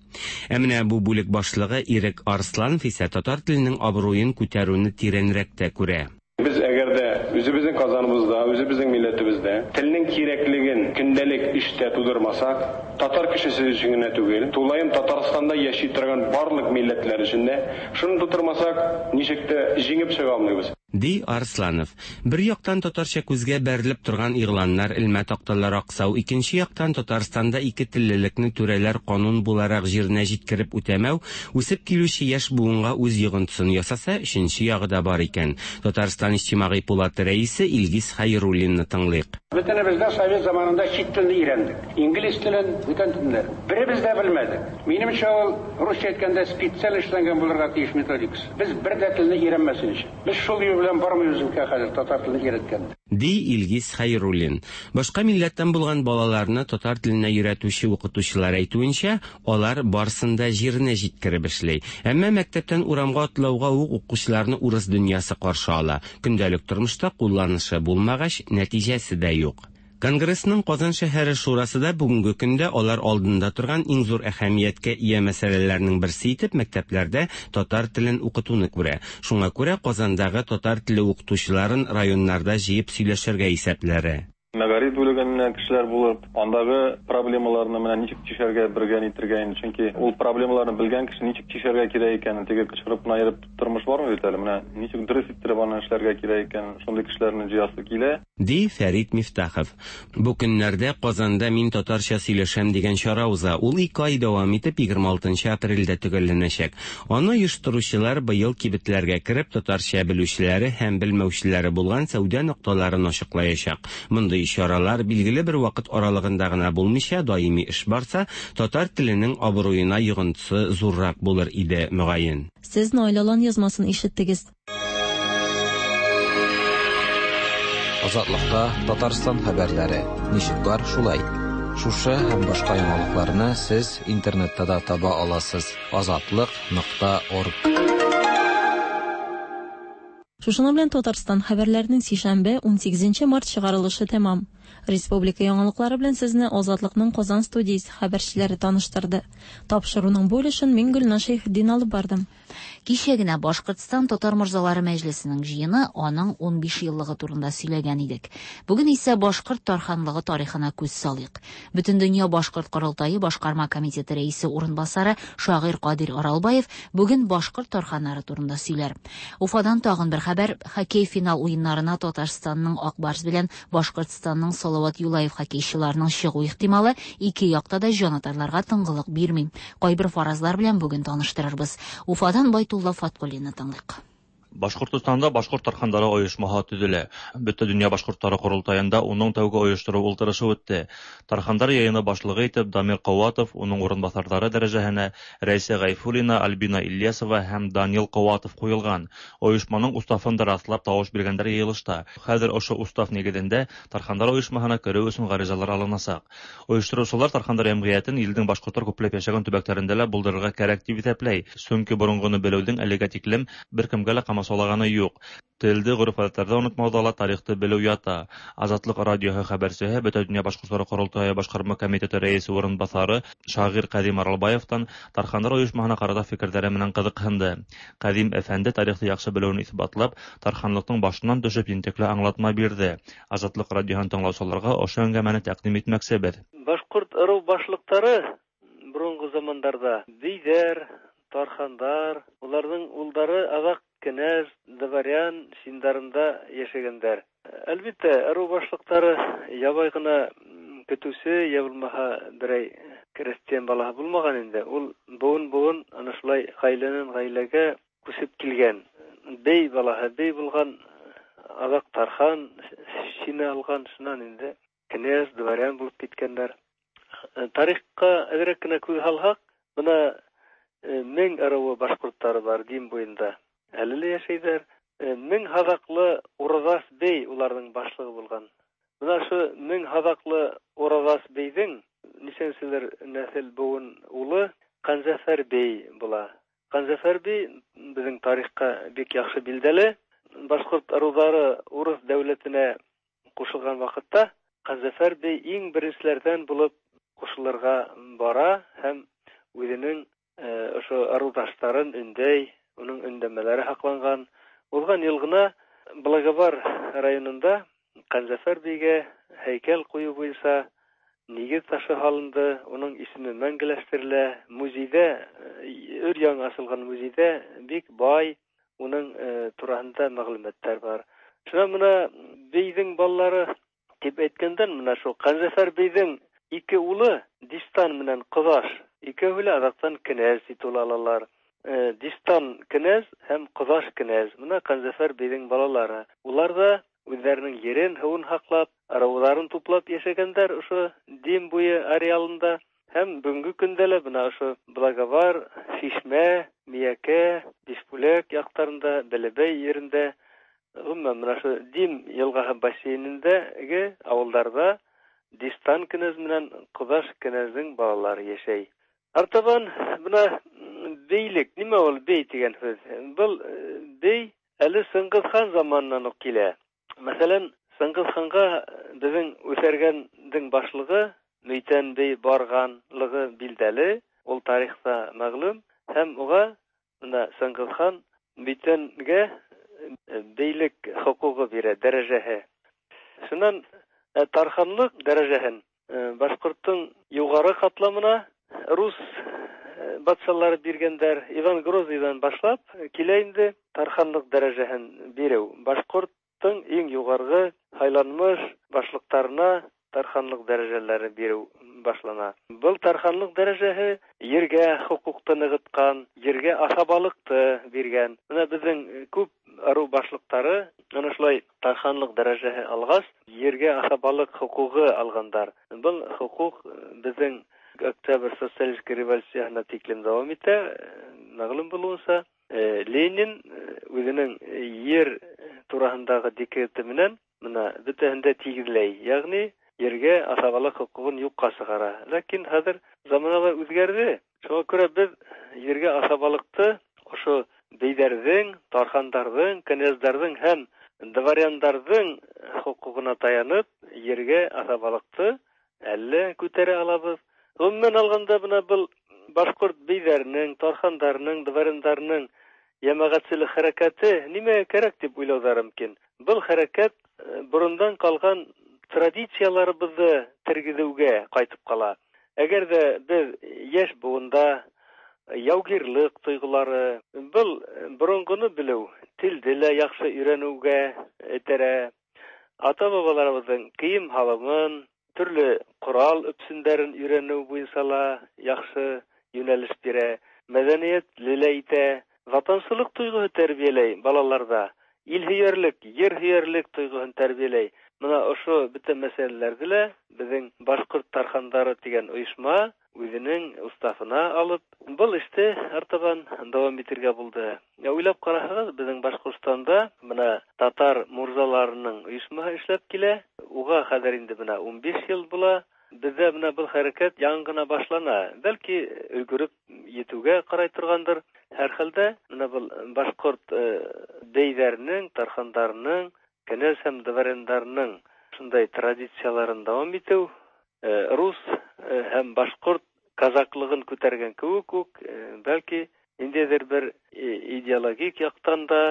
[SPEAKER 17] Ә менә бу бүлек башлыгы Ирек Арсланов исә татар теленең абруен күтәрүне тирәнрәк тә күрә.
[SPEAKER 21] Без әгәр дә үзебезнең Казаныбызда, үзебезнең милләтебездә телнең кирәклеген көндәлек эштә тудырмасак, татар кешесе өчен генә түгел, тулаем Татарстанда яши торган барлык милләтләр өчен дә шуны тудырмасак, ничек тә җиңеп чыга алмыйбыз.
[SPEAKER 17] Ди Арсланов. Бер яктан татарча күзгә бәрелеп торган игъланнар, элмә такталар аксау, икенче яктан Татарстанда ике теллелекне түрәләр канун буларак җиренә җиткереп үтәмәү, үсеп килүче яшь буынга үз йогынтысын ясаса, өченче ягы да бар икән. Татарстан Иҗтимагый пулаты рәисе Илгиз Хәйруллинны тыңлыйк.
[SPEAKER 6] Бөтенебез дә совет заманында чит телне өйрәндек. Инглиз телен, бүтән телләр. Беребез дә белмәдек. Минемчә, ул русча әйткәндә специаль эшләнгән булырга тиеш методикасы. Без бер дә телне өйрәнмәсен өчен. Без шул юл белән бармыйбыз микән хәзер татар телен өйрәткәндә.
[SPEAKER 17] Ди Илгиз Хәйруллин. Башка милләттән булган балаларны татар теленә өйрәтүче укытучылар әйтүенчә, алар барсын да җиренә җиткереп эшли. Әмма мәктәптән урамга атлауга ук укучыларны урыс дөньясы каршы ала. Көндәлек тормышта кулланышы булмагач, нәтиҗәсе дә юк. Конгрессның Казан шәһәре шурасы да бүгенге көндә алар алдында торган иң зур әһәмияткә ия мәсьәләләрнең берсе итеп мәктәпләрдә татар телен укытуны күрә. Шуңа күрә Казандагы татар теле укытучыларын районнарда җыеп сөйләшергә исәпләре.
[SPEAKER 18] Мәгариф бүлегеннән кешеләр булып, андагы проблемаларны менә ничек чишәргә бергә нитергә инде, чөнки ул проблемаларны белгән кеше ничек чишәргә кирәк икәнен, теге кычкырып кына йөреп тормыш бармы бит әле, менә ничек дөрес иттереп аны эшләргә кирәк икәнен, шундый кешеләрне җыясы килә.
[SPEAKER 17] Ди Фәрит Мифтахов. Бу көннәрдә Казанда Мин татарча сөйләшәм дигән чара уза. Ул ике ай дәвам итеп егерме алтынчы апрельдә төгәлләнәчәк. Аны оештыручылар быел кибетләргә кереп татарча белүчеләре һәм белмәүчеләре булган сәүдә нокталарын ачыклаячак. Мондый чаралар билгеле бер вакыт аралыгында гына булмыйча даими эш барса, татар теленең абруена йогынтысы зуррак булыр иде, мөгаен.
[SPEAKER 9] Сез Наилалан язмасын ишеттегез.
[SPEAKER 3] Азатлыкта Татарстан хәбәрләре. Ничек бар, шулай. Шушы һәм башка яңалыкларны сез интернетта да таба аласыз. азатлык нокта орг.
[SPEAKER 9] Шушының белән Татарстан хәбәрләренең сишәмбе унсигезенче март чыгарылышы тәмам. Республика яңалыклары белән сезне Азатлыкның Казан студиясе хәбәрчеләре таныштырды. Тапшыруның бу өлешен мин Гөлназ Шәйхетдин алып бардым.
[SPEAKER 2] Кичә генә Башкортстан Татар морзалары мәҗлесенең җыены аның унбиш еллыгы турында сөйләгән идек. Бүген исә Башкорт тарханлыгы тарихына күз салыйк. Бөтендөнья Башкорт корылтае башкарма комитеты рәисе урынбасары шагыйрь Кадир Аралбаев бүген башкорт тарханнары турында сөйләр. Уфадан тагын бер хәбәр: хоккей финал уеннарына Татарстанның Ак Барс белән Башкортстанның Салават Юлаев хоккейчыларының чыгу ихтималы ике якта да җанатарларга тынгылык бирми. Кайбер фаразлар белән бүген таныштырырбыз. Уфадан Байтулла Фаткуллинны тыңлыйк.
[SPEAKER 22] Башкортостанда башкорт тархандары оешмаһы төзелә. Бөтен дөнья башкортлары корылтаенда уның тәүге оештыру ултырышы үтте. Тархандар йыйыны башлыгы итеп Дамир Ҡыуатов, уның урынбаҫарҙары дәрәжәһенә Рәйсә Ғәйфуллина, Альбина Ильясова һәм Данил Ҡыуатов ҡуйылған. Ойошманың уставын да раҫлап тауыш биргәндәр йыйылышта. Хәҙер ошо устав нигеҙендә Тархандар ойошмаһына кереү өсөн ғаризалар алынасаҡ. Ойоштороусылар Тархандар йәмғиәтен илдең башҡорттар күпләп йәшәгән төбәктәрендә лә булдырырға кәрәк тип иҫәпләй. Сөнки боронғоно белеүҙең әлегә тиклем бер кемгә лә ҡамасаулаганы юҡ. Телде, ғөрөф-ғәҙәттәрҙе онотмауҙа ла тарихты белеү ята. Азатлыҡ радиоһы хәбәрсеһе Бөтә донъя башҡорттары ҡоролтайы башҡарма комитеты рәйесе урынбаҫары шағир Ҡәҙим Аралбаевтан Тархандар ойошмаһына ҡарата фекерҙәре менән ҡыҙыҡһынды. Ҡәҙим әфәнде тарихты яҡшы белеүен иҫбатлап, тарханлыҡтың башынан төшөп ентекле аңлатма бирҙе. Азатлыҡ радиоһын тыңлаусыларға ошо әңгәмәне тәҡдим итмәксебеҙ.
[SPEAKER 23] Башҡорт ырыу башлыҡтары боронғо замандарҙа бейҙәр, тархандар, уларҙың улдары аҙаҡ кенәз, дворян синдарында йәшәгәндәр. Әлбиттә, ырыу башлыҡтары ябай ғына көтөүсе, йә булмаһа берәй крестьян балаһы булмаған инде. Ул быуын-быуын ана шулай ғаиләнән ғаиләгә күсеп килгән. Бей балаһы бей булған, аҙаҡ тархан шине алған, шунан инде кенәз, дворян булып киткәндәр. Тарихҡа әҙерәк кенә күҙ һалһаҡ, бына мең ырыуы башҡорттары бар Дим буйында. Әле лә йәшәйҙәр. Мең һаҙаҡлы Ураҙас бей уларҙың башлығы булған. Бына ошо мең һаҙаҡлы Ураҙас бейҙең нисәнселер нәҫел быуын улы Ҡанзәфәр бей була. Ҡанзәфәр бей беҙҙең тарихҡа бик яҡшы билдәле. Башҡорт ырыуҙары урыҫ дәүләтенә ҡушылған ваҡытта Ҡанзәфәр бей иң беренселәрҙән булып ҡушылырға бара һәм үҙенең ошо ырыуҙаштарын өндәй, уның өндәмәләре һаҡланған. Уҙған йыл ғына Благовар районында Ҡанзәфәр бейгә һәйкәл ҡуйыу буйынса нигеҙ ташы һалынды, уның исеме мәңгеләштерелә. Музейҙә, өр-яңы асылған музейҙә бик бай Уның тураһында мәгълүматтар бар. Шунан мына бейҙең балалары тип әйткәндән, мына шул Ҡанзәфәр бейҙең ике улы Дистан менән Ҡоҙаш, икәүһе лә аҙаҡтан кенәз титулы алалар. Дистан кенәз һәм Ҡоҙаш кенәз. Мына Ҡанзәфәр бейҙең балалары. Улар да үҙҙәренең ерен, һыуын һаҡлап, ырыуҙарын туплап йәшәгәндәр ошо Дим буйы ареалында. Һәм бөгөнгө көндә лә бына ошо Благовар, Шишмә, Миәкә, Бишбүләк яҡтарында, Бәләбәй ерендә, ғөмүмән мына ошо Дим йылғаһы бассейнендәге ауылдарҙа Дистан кенәз менән Ҡоҙаш кенәздең балалары йәшәй. Артабан бына бейлек, нимә ул бей тигән һүҙ? Был бей әле Сыңғыҙ хан заманынан уҡ килә. Мәҫәлән, Сыңғыҙ ханға беҙҙең Үҫәргәндең башлығы Мөйтән бей барғанлығы билдәле, ул тарихта мәғлүм, һәм уға бына Сыңғыҙ хан Мөйтәнгә бейлек хоҡуғы бирә, дәрәжәһе. Шунан тарханлыҡ дәрәжәһен башҡорттоң юғары ҡатламына рус батшалары биргәндәр. Иван Грозныйҙан башлап килә инде тарханлыҡ дәрәжәһен биреү. Башҡорттоң иң юғарғы һайланмыш башлыҡтарына тарханлыҡ дәрәжәләре биреү башлана. Был тарханлыҡ дәрәжәһе ергә хоҡуҡты нығытҡан, ергә аҫабалыҡты биргән. Бына беҙҙең күп ырыу башлыҡтары ана шулай тарханлыҡ дәрәжәһе алғас, ергә аҫабалыҡ хоҡуғы алғандар. Был хоҡуҡ беҙҙең Октябрь социалистик революцияһына тиклем дауам итә. Мәғлүм булыуынса, Ленин үҙенең ер тураһындағы декреты менән бына бөтәһен дә тигеҙләй, йәғни ергә аҫабалыҡ хоҡуғын юҡҡа сығара. Ләкин хәҙер заманалар үҙгәрҙе. Шуға күрә беҙ ергә аҫабалыҡты ошо бейҙәрҙең, тархандарҙың, кенәздәрҙең һәм дворяндарҙың хоҡуғына таянып, ергә аҫабалыҡты әллә күтәрә алабыҙ. Ғөмүмән алғанда, бына был башҡорт бейҙәренең, тархандарының, дворяндарының йәмәғәтселек хәрәкәте нимәгә кәрәк тип уйлауҙары мөмкин. Был хәрәкәт борондан ҡалған традицияларыбыҙҙы тергеҙеүгә ҡайтып ҡала. Әгәр ҙә беҙ йәш быуында яугирлыҡ тойғолары, был боронғоно белеү, телде лә яҡшы өйрәнеүгә этәрә, ата-бабаларыбыҙҙың кейем һалымын, төрлө ҡорал өпсөндәрен өйрәнеү буйынса ла яҡшы йүнәлеш бирә, мәҙәниәтле лә итә, ватансылыҡ тойғоһо тәрбиәләй балаларҙа, ил һөйәрлек, ер һөйәрлек тойғоһон тәрбиәләй. Бына ошо бөтә мәсьәләләрҙе лә беҙҙең Башҡорт тархандары тигән ойошма үҙенең уставына алып, был эште артабан дауам итергә булды. Уйлап ҡараһағыҙ, беҙҙең Башҡортостанда бына татар мурзаларының ойошмаһы эшләп килә. Уға хәҙер инде бына ун биш йыл була. Беҙҙә бына был хәрәкәт яңы ғына башлана. Бәлки өлгөрөп етеүгә ҡарай торғандыр. Һәр хәлдә бына был башҡорт бейҙәренең, тархандарының, кенәз һәм дворяндарының шундай традицияларын дауам итеү, рус һәм башҡорт казаклығын күтәргән кеүек үк, бәлки ниндәйҙер бер идеологик яҡтан да,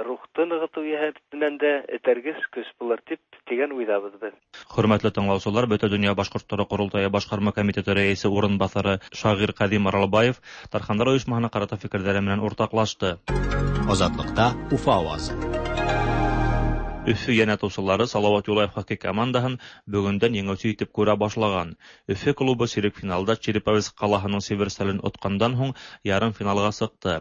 [SPEAKER 23] рухты нығытыу йәһәтенән дә этәргес көс булыр тип тигән уйҙабыҙ беҙ.
[SPEAKER 22] Хөрмәтле тыңлаусылар, Бөтә донъя башҡорттары ҡоролтайы башҡарма комитеты рәйесе урынбаҫары шағир Ҡәҙим Аралбаев Тархандар ойошмаһына ҡарата фекерҙәре менән уртаҡлашты.
[SPEAKER 1] Азатлыҡта Уфа ауазы.
[SPEAKER 22] Өфө йәнәтыусылары Салауат Юлаев хоккей командаһын бөгөндән еңеүсе итеп күрә башлаған. Өфө клубы сирек финалда Череповец ҡалаһының Северстален отҡандан һуң ярым финалға сыҡты.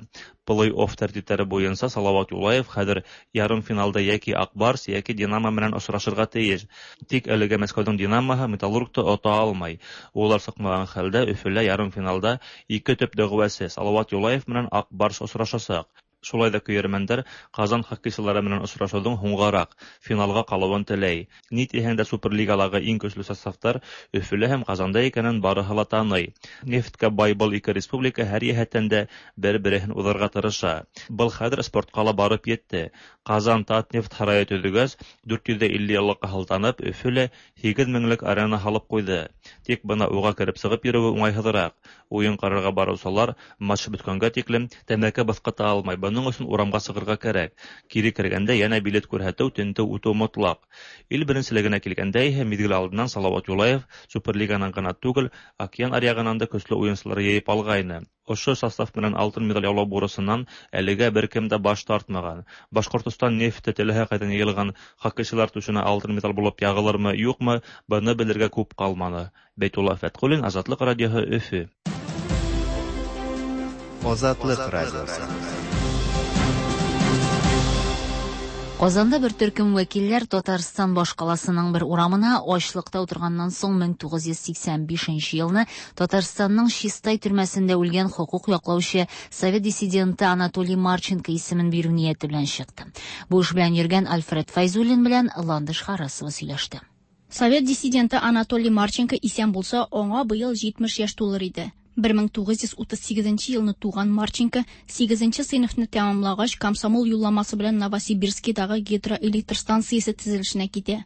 [SPEAKER 22] Плей-офф тәртиптәре буйынса Салауат Юлаев хәҙер ярым финалда йәки Аҡбарс, йәки Динамо менән осрашырға тейеш. Тик әлегә Мәскәүҙең Динамоһы Металлургты ота алмай. Улар сыҡмаған хәлдә Өфөлә ярым финалда ике төп дәғүәсе Салауат Юлаев менән Аҡбарс осрашасаҡ. Шулай да көйәрмәндәр Ҡазан хоккейсылары менән осрашыуҙың һуңғараҡ финалға ҡалыуын теләй. Ни тиһәң дә Суперлигалағы иң көслө составтар Өфөлә һәм Ҡазанда икәнен барыһы ла таный. Нефткә бай был ике республика һәр йәһәттән дә бер-береһен уҙырға тырыша. Был хәҙер спортҡа ла барып етте. Ҡазан Татнефть һарайы төҙөгәс, дүрт йөҙ илле йыллыҡҡа һылтанып, Өфөлә һигеҙ меңлек арена һалып ҡуйҙы. Тик бына уға кереп сығып йөрөүе уңайһыҙыраҡ. Уйын ҡарарға барыусылар матч бөткәнгә тиклем тәмәке быҫҡыта алмай. Бының өсөн урамға сығырға кәрәк. Кире кергәндә йәнә билет күрһәтеү, тентеү үтеү мотлаҡ. Ил беренселегенә килгәндә иһә миҙгел алдынан Салауат Юлаев Суперлиганан ғына түгел, океан аръяғынан да көслө уйынсылар йыйып алғайны. Ошо состав менән алтын медаль яулау бурысынан әлегә бер кем дә баш тартмаған. Башҡортостан нефте теләһә ҡайҙан йыйылған хоккейсылар түшенә алтын медаль булып яғылырмы, юҡмы, быны белергә күп ҡалманы. Бәйтулла Фәтҡуллин, Азатлыҡ радиоһы, Өфө.
[SPEAKER 4] Азатлык радиосы.
[SPEAKER 2] Казанда бер төркем вәкилләр Татарстан башкаласының бер урамына ачлыкта утырганнан соң мең тугыз йөз сиксән бишенче елны Татарстанның Чистай төрмәсендә үлгән хокук яклаучы совет диссиденты Анатолий Марченко исемен бирү нияте белән чыкты. Бу эш белән йөргән Альфред Файзуллин белән Ландыш Харасова сөйләште.
[SPEAKER 5] Совет диссиденты Анатолий Марченко исән булса, аңа быел җитмеш яшь тулыр иде. Бер мең тугыз йөз утыз сигезенче елны туган Марченко сигезенче сыйныфны тәмамлагач комсомол юлламасы белән Новосибирскидагы гидроэлектр станциясе төзелешенә китә.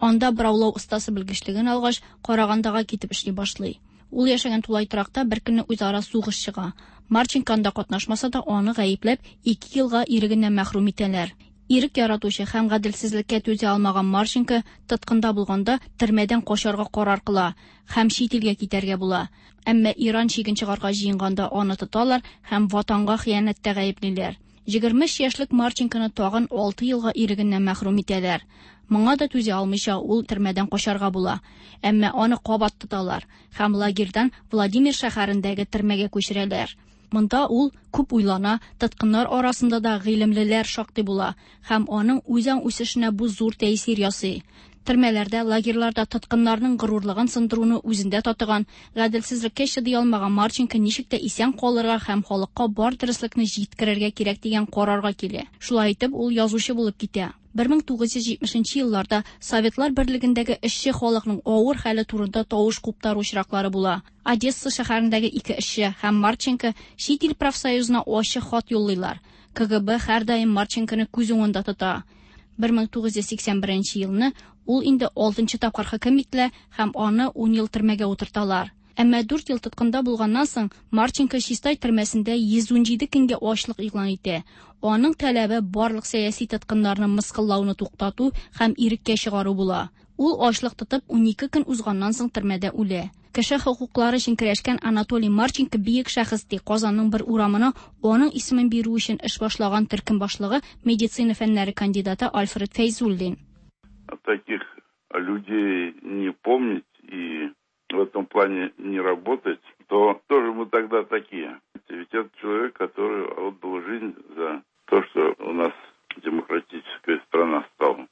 [SPEAKER 5] Анда бораулау остасы белгечлеген алгач, Карагандага китеп эшли башлый. Ул яшәгән тулай торакта бер көнне үзара сугыш чыга. Марченко анда катнашмаса да, аны гаепләп ике елга ирегеннән мәхрүм итәләр. Ирек яратучы һәм гаделсезлеккә түзә алмаган Марченко тоткында булганда төрмәдән качарга карар кыла һәм чит илгә китәргә була. Әмма Иран чиген чыгарга җыенганда аны тоталар һәм ватанга хыянәттә гаеплиләр. Егерме өч яшьлек Марченконы тагын алты елга ирегеннән мәхрүм итәләр. Моңа да түзә алмыйча ул төрмәдән качарга була. Әмма аны кабат тоталар һәм лагерьдан Владимир шәһәрендәге төрмәгә күчерәләр. Монда ул күп уйлана, тоткыннар арасында да гыйлемлеләр шактый була һәм аның үзаң үсешенә бу зур тәэсир ясый. Төрмәләрдә, лагерьларда тоткыннарның горурлыгын сындыруны үзендә татыган, гаделсезлеккә чыдый алмаган Марченко ничек тә исән калырга һәм халыкка бар дөреслекне җиткерергә кирәк дигән карарга килә. Шулай итеп, ул язучы булып китә. Бер мең тугыз йөз җитмешенче елларда Советлар Берлегендәге эшче халыкның авыр хәле турында тавыш куптару очраклары була. Одесса шәһәрендәге ике эшче һәм Марченко чит ил профсоюзына ачык хат юллыйлар. Ка Гэ Бэ һәрдаим Марченконы күз уңында тота. Бер мең тугыз йөз сиксән беренче елны ул инде алтынчы тапкыр хөкем ителә һәм аны ун ел төрмәгә утырталар. Әмма дүрт ел тоткында булганнан соң Марченко Чистай төрмәсендә йөз унҗиде көнгә ачлык игълан итә. Аның таләбе барлык сәяси тоткыннарны мыскыллауны туктату һәм иреккә чыгару була. Ул ачлык тотып унике көн узганнан соң төрмәдә үлә. Кеше хокуклары өчен көрәшкән Анатолий Марченко бөек шәхес ди. Казанның бер урамына аның исемен бирү өчен эш башлаган төркем башлыгы медицина фәннәре кандидаты Альфред Фәйзуллин.
[SPEAKER 7] Таких людей не помнить и в этом плане не работать, то тоже мы тогда такие. Ведь это человек, который отдал жизнь за то, что у нас демократическая страна стала.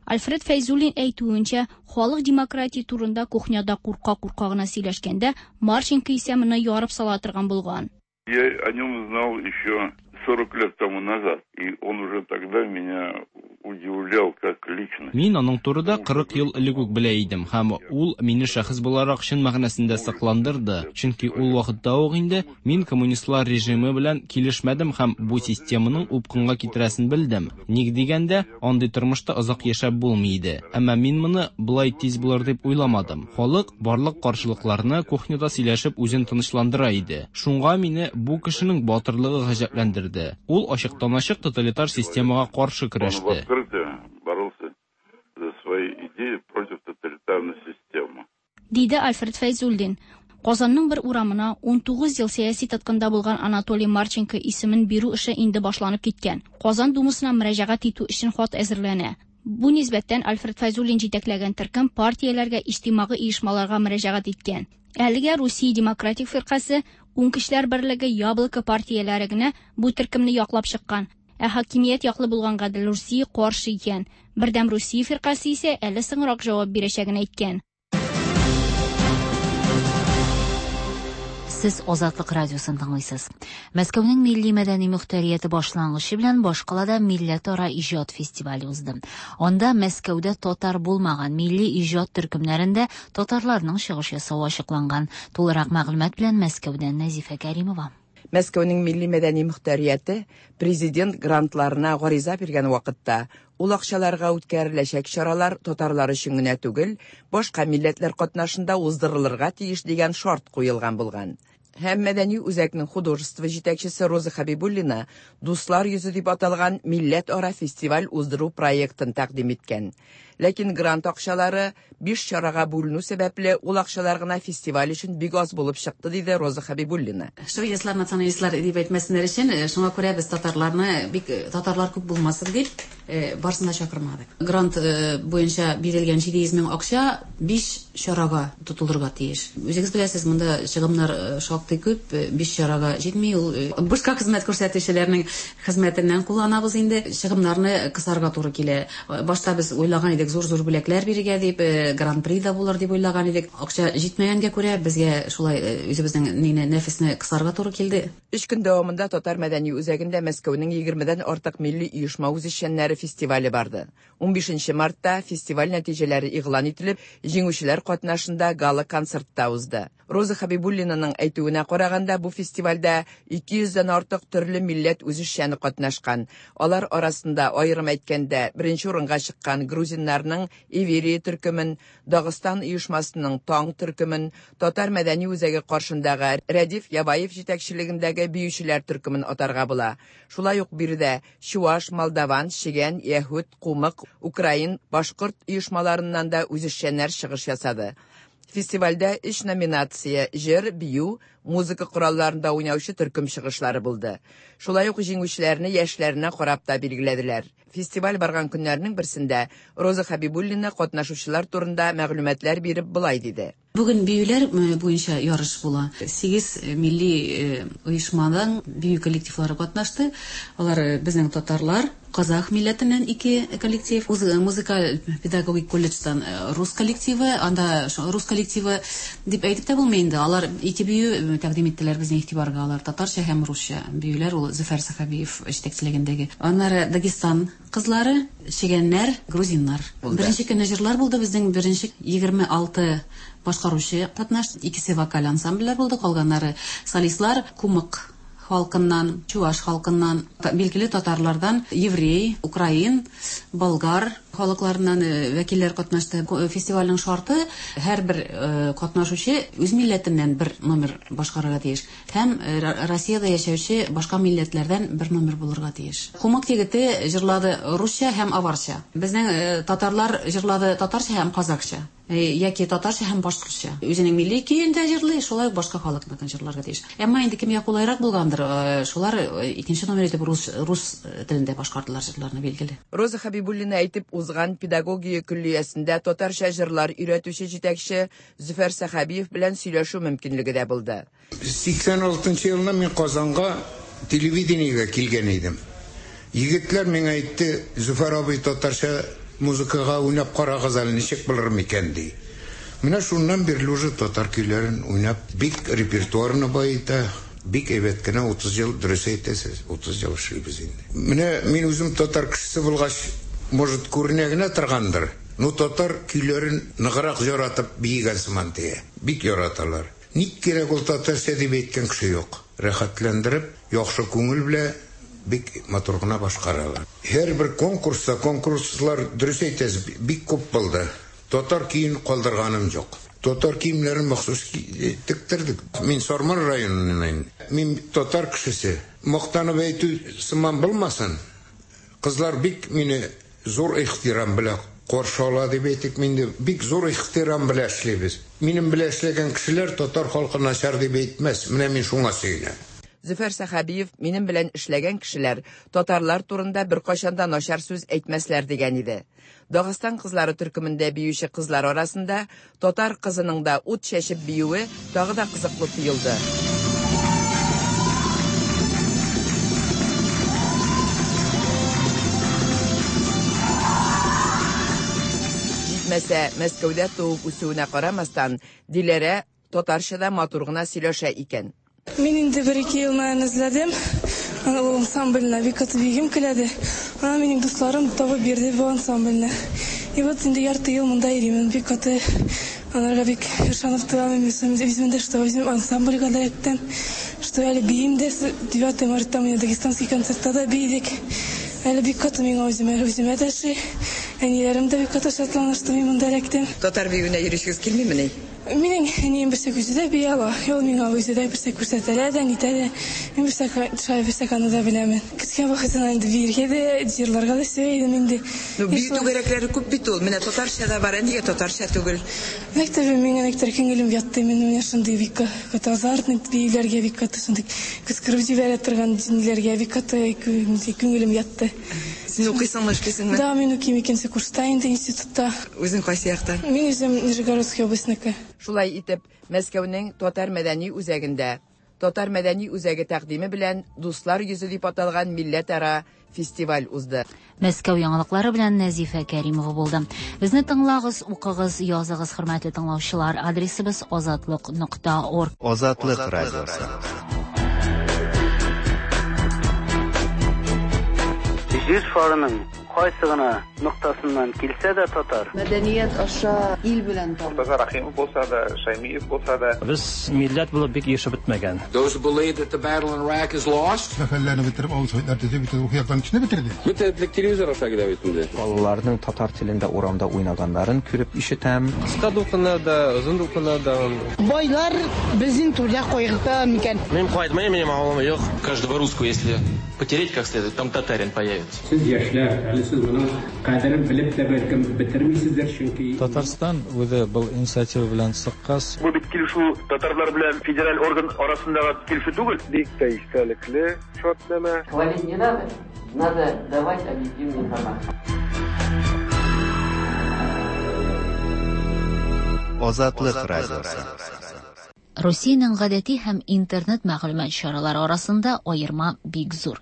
[SPEAKER 5] Альфред Фәйзуллин әйтүенчә, халык демократия турында кухняда курка-курка гына сөйләшкәндә, Марченко исә моны ярып сала торган булган.
[SPEAKER 7] Я о нем знал еще сорок лет тому назад, и он уже тогда меня удивлял как личность.
[SPEAKER 8] Мин аның турында кырык ел элек үк белә идем, һәм ул мине шәхес буларак чын мәгънәсендә сакландырды, чөнки ул вакытта ук инде мин коммунистлар режимы белән килешмәдем һәм бу системаның упкынга китерәсен белдем. Ник дигәндә, андый тормышта озак яшәп булмый иде. Әмма мин моны болай тиз булыр дип уйламадым. Халык барлык каршылыкларны кухняда сөйләшеп үзен тынычландыра иде. Шуңа мине бу кешенең батырлыгы гаҗәпләндерде. Ул ачыктан-ачык тоталитар системага каршы көрәште.
[SPEAKER 7] Боролся за свои идеи против тоталитарной системы.
[SPEAKER 5] Диде Альфред Фәйзуллин. Казанның бер урамына ун тугыз ел сәяси тоткында булган Анатолий Марченко исемен бирү эше инде башланып киткән. Казан думасына мөрәҗәгать итү өчен хат әзерләнә. Бу нисбәттән Альфред Фәйзуллин җитәкләгән төркем партияләргә, иҗтимагый оешмаларга мөрәҗәгать иткән. Әлегә Русия Демократик фиркасе, Уң көчләр берлеге, Яблоко партияләре генә бу төркемне яклап чыккан. Ә хакимият яклы булган Гадел Русия каршы икән. Бердәм Русия фиркасе исә әле соңрак җавап бирәчәген әйткән.
[SPEAKER 2] Сез Азатлык радиосын тыңлыйсыз. Мәскәүнең милли мәдәни мөхтәрияте башлангычы белән башкалада милләтара иҗат фестивале узды. Анда Мәскәүдә татар булмаган милли иҗат төркемнәрендә татарларның чыгыш ясавы ачыкланган. Тулырак мәгълүмат белән Мәскәүдән Нәзифә Кәримова.
[SPEAKER 24] Мәскәүнең милли мәдәни мөхтәрияте президент грантларына гариза биргән вакытта ул акчаларга үткәреләчәк чаралар татарлар өчен генә түгел, башка милләтләр катнашында уздырылырга тиеш дигән шарт куелган булган. Һәм мәдәни үзәкнең художество җитәкчесе Роза Хабибуллина «Дуслар йөзе» дип аталган милләтара фестиваль уздыру проектын тәкъдим иткән. Ләкин грант акчалары биш чарага бүленү сәбәпле, ул акчалар гына фестиваль өчен бик аз булып чыкты, диде Роза Хабибуллина.
[SPEAKER 10] Шовинистлар, националистлар дип әйтмәсеннәр өчен, шуңа күрә без татарларны бик татарлар күп булмасын дип барысын да чакырмадык. Грант буенча бирелгән җиде йөз мең акча биш чарага тотылырга тиеш. Үзегез беләсез, монда чыгымнар шактый күп, биш чарага җитми ул. Бушка хезмәт күрсәтүчеләрнең хезмәтеннән кулланабыз инде. Чыгымнарны кысарга туры килә. Башта без уйлаган идек, зур-зур бүләкләр бирергә дип, гран-при да булыр дип уйлаган идек. Акча җитмәгәнгә күрә безгә шулай үзебезнең нине нәфесне кысарга туры килде.
[SPEAKER 24] Өч көн дәвамында Татар мәдәни үзәгендә Мәскәүнең егермедән артык милли оешма үзешчәннәре фестивале барды. Унбишенче мартта фестиваль нәтиҗәләре игълан ителеп, җиңүчеләр катнашында гала-концертта узды. Роза Хабибуллинаның әйтүенә караганда, бу фестивальдә ике йөздән артык төрле милләт үзешчәне катнашкан. Алар арасында, аерым әйткәндә, беренче урынга чыккан грузиннарның Иверия төркемен, Дагыстан оешмасының Таң төркемен, Татар мәдәни үзәге каршындагы Рәдиф Ябаев җитәкчелегендәге биючеләр төркемен атарга була. Шулай ук биредә чуаш, молдаван, чегән, яһүд, кумык, украин, башкорт оешмаларыннан да үзешчәннәр чыгыш ясады. Фестивальдә өч номинация җыр, бию, музыка коралларында уйнаучы төркем чыгышлары булды. Шулай ук җиңүчеләрне яшьләренә карап та билгеләделәр. Фестиваль барган көннәрнең берсендә Роза Хабибуллина катнашучылар турында мәгълүматлар биреп болай диде.
[SPEAKER 10] Бүген биюләр буенча ярыш була. Сигез милли оешмадан бию коллективлары катнашты. Алар безнең татарлар, казах милләтеннән ике коллектив, музыкаль педагогик колледждан рус коллективы, анда рус коллективы дип әйтеп тә булмый инде. Алар ике бию тәкъдим иттеләр безнең игътибарга. Алар татарча һәм русча биюләр, ул Зөфәр Сәхәбиев җитәкчелегендәге. Аннары Дагестан кызлары, чегәннәр, грузиннар. Беренче көнне җырлар булды, безнең беренче егерме алты башкаручы катнашты. Икесе вокаль ансамбльләр булды, калганнары солистлар, кумык халкыннан, чуваш халкыннан, билгеле татарлардан, еврей, украин, болгар халыкларыннан вәкилләр катнашты. Фестивальнең шарты: һәрбер катнашучы үз милләтеннән бер номер башкарырга тиеш һәм Россиядә яшәүче башка милләтләрдән бер номер булырга тиеш. Кумык егете җырлады русча һәм аварча. Безнең татарлар җырлады татарча һәм казакча, яки татарча һәм башкортча. Үзенең милли көен дә җырлый, шулай ук башка халыкныкын җырларга тиеш. Әмма инде кемгә кулайрак булгандыр, шулар икенче номер итеп рус рус телендә башкардылар җырларны, билгеле.
[SPEAKER 24] Роза Хабибуллина әйтеп узган педагогия көллиясендә татарча җырлар өйрәтүче җитәкче Зөфәр Сәхәбиев белән сөйләшү мөмкинлеге дә булды.
[SPEAKER 11] сиксән алтынчы елны мин Казанга телевидениегә килгән идем. Егетләр миңа әйтте: "Зөфәр абый, татарча музыкага уйнап карагыз әле, ничек булыр микән?" ди. Менә шуннан бирле уже татар көйләрен уйнап, бик репертуарны баета, бик әйбәт кенә утыз ел, дөрес әйтәсез, утыз ел эшлибез инде. Менә мин үзем татар кешесе булгач, может, күренә генә торгандыр, но татар көйләрен ныграк яратып биегән сыман тия. Бик яраталар. Ник кирәк ул татарча дип әйткән кеше юк. Рәхәтләндереп, яхшы күңел белән бик матур гына башкаралар. Һәрбер конкурста, конкурслар, дөрес әйтәсез, бик күп булды. Татар киен калдырганым юк. Татар киемнәрен махсус тектердек. Мин Сарман районыннан. Мин татар кешесе. Мактанып әйтү сыман булмасын. Кызлар бик мине зур ихтирам белән каршы ала дип әйтик, мин дә бик зур ихтирам белән эшлибез. Минем белән эшләгән кешеләр татар халкы начар дип әйтмәс. Менә мин шуңа сөенәм.
[SPEAKER 24] Зөфәр Сәхәбиев минем белән эшләгән кешеләр татарлар турында беркайчан да начар сүз әйтмәсләр дигән иде. Дагыстан кызлары төркемендә биюче кызлар арасында татар кызының да ут чәчеп биюе тагы да кызыклы тоелды. Җитмәсә, Мәскәүдә туып үсүенә карамастан, Диләрә татарча да матур гына сөйләшә икән.
[SPEAKER 13] Мин инде бер ике ел менән эзләдем. Аны ул ансамбльне бик каты бигем киләде. Ана минем дусларым табып бирде бу ансамбльне. И вот инде ярты ел монда йөрим. Бик каты аларга бик ышанып торам. Үзем дә, что үзем ансамбльгә да әйттем, что әле биим дә. девятое мартта мин дагестанский концертта да биедек. Әле бик каты миңа үземә үземә дә ши. Әниләрем дә бик каты шатлана, что мин монда эләктем.
[SPEAKER 24] Татар биюенә йөришегез килмимени?
[SPEAKER 13] Минем әнием берсә үзе дә бии ала. Ул миңа үзе дә берсә күрсәтә дә, нитә дә. Мин берсә шулай берсә аны да беләмен. Кечкенә вакытымнан инде биергә дә, җырларга да сөя идем инде.
[SPEAKER 24] Ну, бию түгәрәкләре күп бит ул. Менә татарча да бар, ә нигә татарча түгел?
[SPEAKER 13] Мәктәбе миңа никтер күңелем ятты. Мин менә шундый бик каты азартный биюләргә бик каты шундый кычкырып җибәрә торган ниләргә бик каты күңелем ятты.
[SPEAKER 24] Син укыйсыңмы, эшлисеңме?
[SPEAKER 13] Да, мин укыйм икенче курста инде институтта.
[SPEAKER 24] Үзең кайсы яктан?
[SPEAKER 13] Мин үзем Нижегородский областьныкы.
[SPEAKER 24] Шулай итеп, Мәскәүнең Татар мәдәни үзәгендә Татар мәдәни үзәге тәкъдиме белән Дуслар йөзе дип аталган милләтара фестиваль узды.
[SPEAKER 2] Мәскәү яңалыклары белән Нәзифә Кәримова булды. Безне тыңлагыз, укыгыз, языгыз, хөрмәтле тыңлаучылар. Адресыбыз азатлык нокта орг.
[SPEAKER 4] Азатлык радиосы.
[SPEAKER 12] Җир шарының кайсы гына ноктасыннан килсә дә татар.
[SPEAKER 14] Мәдәният аша ил белән танып.
[SPEAKER 15] Мортаза Рахимов булса да, Шаймиев булса да.
[SPEAKER 16] Без милләт булып бик ирешеп бетмәгән.
[SPEAKER 25] Those who believe that the battle in Iraq is lost.
[SPEAKER 26] Сәфәрләрне бетереп, авыл советлар төзеп, бөтен рухи яктан кешене бетерде.
[SPEAKER 21] Бөтен телевизор аша килә бит инде.
[SPEAKER 27] Балаларның татар телендә урамда уйнаганнарын күреп ишетәм.
[SPEAKER 21] Кыска дулкыннарда, озын дулкыннарда.
[SPEAKER 28] Байлар безнең түрдә кайгырта микән?
[SPEAKER 29] Мин кайтмыйм, минем авылым юк. Каждого русского, если потереть как следует, там татарин появится.
[SPEAKER 6] Сез яшьләр, әле сез моның кадерен белеп тә бәлкем бетермисездер, чөнки
[SPEAKER 30] Татарстан үзе был инициатива белән чыккач.
[SPEAKER 31] Бу бит килешү татарлар белән федераль орган арасындагы килешү түгел.
[SPEAKER 32] Бик тә истәлекле шартнамә.
[SPEAKER 33] Хвалить не надо, надо давать объективную информацию.
[SPEAKER 4] Азатлык радиосы.
[SPEAKER 2] Русиянең гадәти һәм интернет мәгълүмат чаралары арасында аерма бик зур.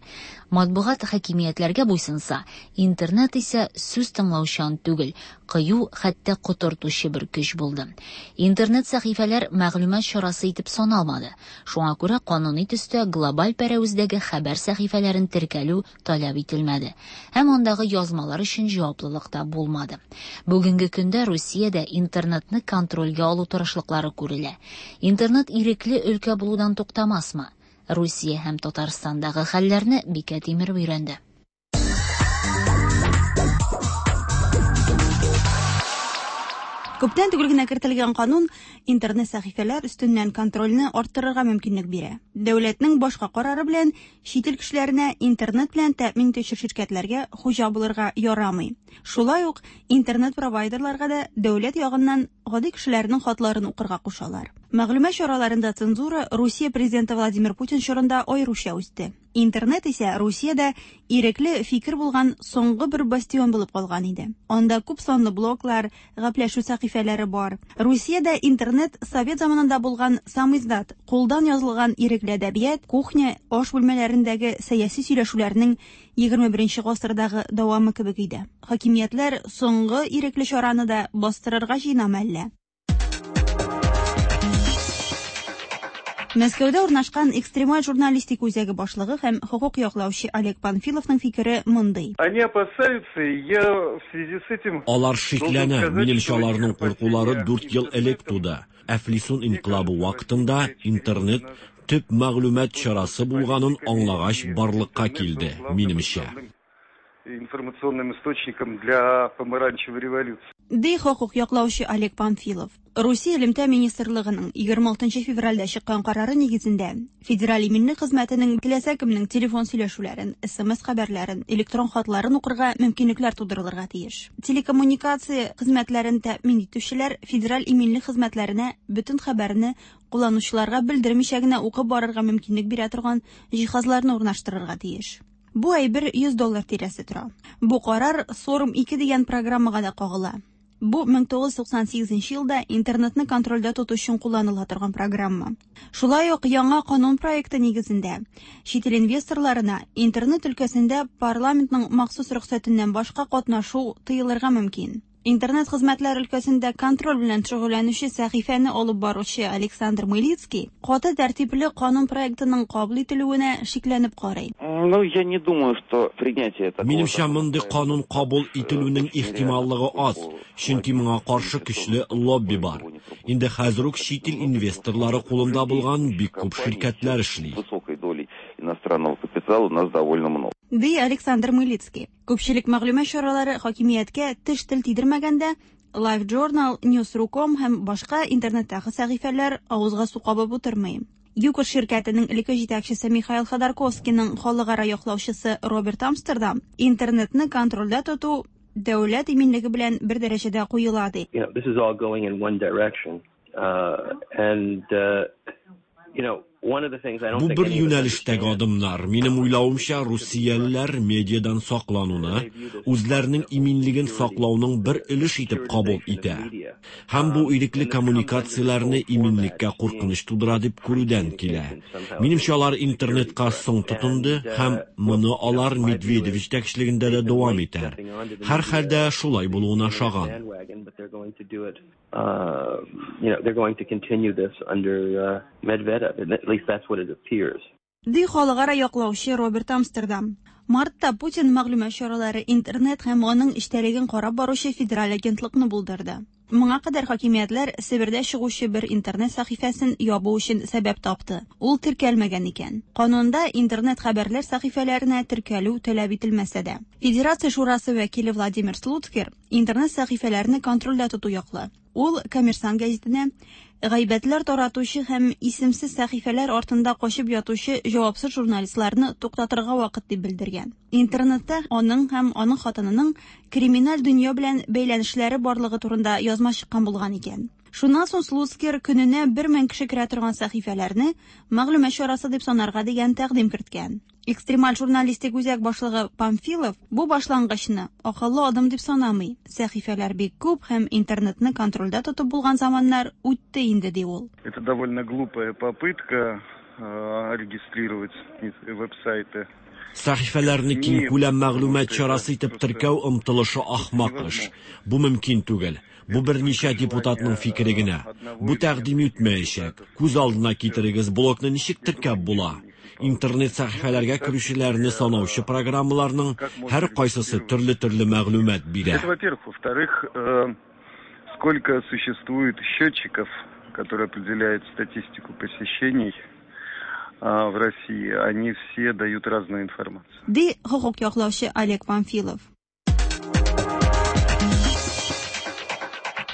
[SPEAKER 2] Матбугат хакимиятләргә буйсынса, интернет исә сүз тыңлаучан түгел, кыю, хәтта котыртучы бер көч булды. Интернет сәхифәләр мәгълүмат чарасы итеп саналмады. Шуңа күрә кануни төстә глобаль пәрәвездәге хәбәр сәхифәләрен теркәлү таләп ителмәде һәм андагы язмалар өчен җаваплылык та булмады. Бүгенге көндә Русиядә интернетны контрольгә алу тырышлыклары күрелә. Интернет ирекле өлкә булудан туктамасмы? Русия һәм Татарстандагы хәлләрне Бикә Тимер өйрәнде.
[SPEAKER 34] Күптән түгел генә кертелгән канун интернет сәхифәләр өстеннән контрольне арттырырга мөмкинлек бирә. Дәүләтнең башка карары белән чит ил кешеләренә интернет белән тәэмин итүче ширкәтләргә хуҗа булырга ярамый. Шулай ук интернет провайдерларга да дәүләт ягыннан гади кешеләрнең хатларын укырга кушалар. Мәгълүмат чараларында цензура Русия президенты Владимир Путин чорында аеруча үсте. Интернет исә Русиядә ирекле фикер булган соңгы бер бастион булып калган иде. Анда күп санлы блоглар, гәпләшү сәхифәләре бар. Русиядә интернет совет заманында булган самиздат, кулдан язылган ирекле әдәбият, кухня, аш бүлмәләрендәге сәяси сөйләшүләрнең егерме беренче гасырдагы дәвамы кебек иде. Хакимиятләр соңгы ирекле чараны да бастырырга җыенамы әллә? Мәскәүдә урнашкан экстремаль журналистика үзәге башлыгы һәм хокук яклаучы Олег Панфиловның фикере мондый.
[SPEAKER 32] Они опасаются, я в связи с этим
[SPEAKER 35] Алар шикләнә, минемчә аларның куркулары дүрт ел элек туды. Әфлисун инкыйлабы вакытында интернет төп мәгълүмат чарасы булганын аңлагач барлыкка килде, минемчә.
[SPEAKER 32] Информационным источником для помаранчевой революции.
[SPEAKER 34] Ди хокук яклаучы Олег Панфилов. Русия элемтә министрлыгының егерме алтынчы февральдә чыккан карары нигезендә Федераль иминлек хезмәтенең теләсә кемнең телефон сөйләшүләрен, эс эм эс хәбәрләрен, электрон хатларын укырга мөмкинлекләр тудырылырга тиеш. Телекоммуникация хезмәтләрен тәэмин итүчеләр федераль иминлек хезмәтләренә бөтен хәбәрне кулланучыларга белдермичә генә укып барырга мөмкинлек бирә торган җиһазларны урнаштырырга тиеш. Бу әйбер йөз доллар тирәсе тора. Бу карар Сорм ике дигән программага да кагыла. Бу мең тугыз йөз туксан сигезенче елда интернетны контрольдә тоту өчен кулланыла торган программа. Шулай ук яңа канун проекты нигезендә чит ил инвесторларына интернет өлкәсендә парламентның махсус рөхсәтеннән башка катнашу тыелырга мөмкин. Интернет хезмәтләр өлкәсендә контроль белән шөгыльләнүче сәхифәне алып баручы Александр Мылицкий каты тәртипле канун проектының кабул ителүенә шикләнеп карый.
[SPEAKER 36] Ну, я не думаю, что принятие такого
[SPEAKER 35] Минемчә, мондый канун кабул ителүнең ихтималлыгы аз, чөнки моңа каршы көчле лобби бар. Инде хәзер үк чит ил инвесторлары кулында булган бик күп ширкәтләр эшли.
[SPEAKER 36] Высокой долей иностранного капитала у нас довольно много.
[SPEAKER 34] Ди Александр Мылицкий. Күпчелек мәгълүмат чаралары хакимияткә теш тел тидермәгәндә LiveJournal, News точка com һәм башка интернеттагы сәхифәләр авызга су кабып утырмый. ЮКОС ширкәтенең элекке җитәкчесе Михаил Ходорковскийның халыкара яклаучысы Роберт Амстердам интернетны контрольдә тоту дәүләт иминлеге белән бер дәрәҗәдә куела ди.
[SPEAKER 1] You know, this is all going in one direction. Uh, and, uh, you know,
[SPEAKER 35] Бу бер юнәлештәге адымнар. Минем уйлавымча, русиялеләр медиадан саклануны үзләренең иминлеген саклауның бер өлеш итеп кабул итә. Һәм бу ирекле коммуникацияләрне иминлеккә куркыныч тудыра дип күрүдән килә. Минемчә, алар интернетка соң тотынды һәм моны алар Медведев җитәкчелегендә дә дәвам итәр. Һәрхәлдә шулай булуына ошаган.
[SPEAKER 1] Uh, you know, they're going to continue this under uh, Medvedev. At least that's what it appears.
[SPEAKER 34] Ди халыкара яклаучы Роберт Амстердам. Мартта Путин мәгълүмат чаралары, интернет һәм аның эчтәлеген карап баручы федераль агентлыкны булдырды. Моңа кадәр хакимиятләр Себердә чыгучы бер интернет сәхифәсен ябу өчен сәбәп тапты. Ул теркәлмәгән икән. Канунда интернет хәбәрләр сәхифәләренә теркәлү таләп ителмәсә дә. Федерация шурасы вәкиле Владимир Слуцкер интернет сәхифәләрне контрольдә тоту яклы. Ул Коммерсант гәзитенә гайбәтләр таратучы һәм исемсез сәхифәләр артында качып ятучы җавапсыз журналистларны туктатырга вакыт дип белдергән. Интернетта аның һәм аның хатынының криминаль дөнья белән бәйләнешләре барлыгы турында язма чыккан булган икән. Шуннан соң Слуцкер көненә бер мең кеше керә торган сәхифәләрне мәгълүмат чарасы дип санарга дигән тәкъдим керткән. Экстремаль журналистик үзәк башлыгы Памфилов бу башлангычны акыллы адым дип санамый. Сәхифәләр бик күп һәм интернетны контрольдә тотып булган заманнар үтте инде, ди ул.
[SPEAKER 32] Это довольно глупая попытка э, регистрировать веб-сайты.
[SPEAKER 35] Сәхифәләрне киңкүләм мәгълүмат чарасы итеп теркәү омтылышы ахмак эш. Бу мөмкин түгел. Бу берничә депутатның фикере генә. Бу тәкъдим үтмәячәк. Күз алдына китерегез, блогны ничек теркәп була? Интернет сәхифәләргә керүчеләрне санаучы программаларның һәр кайсысы төрле-төрле мәгълүмат бирә.
[SPEAKER 32] Это, во-первых. Во-вторых, э, сколько существует счетчиков, которые определяют статистику посещений в России, они все дают разную информацию.
[SPEAKER 34] Ди хокук яклаучы Олег Памфилов.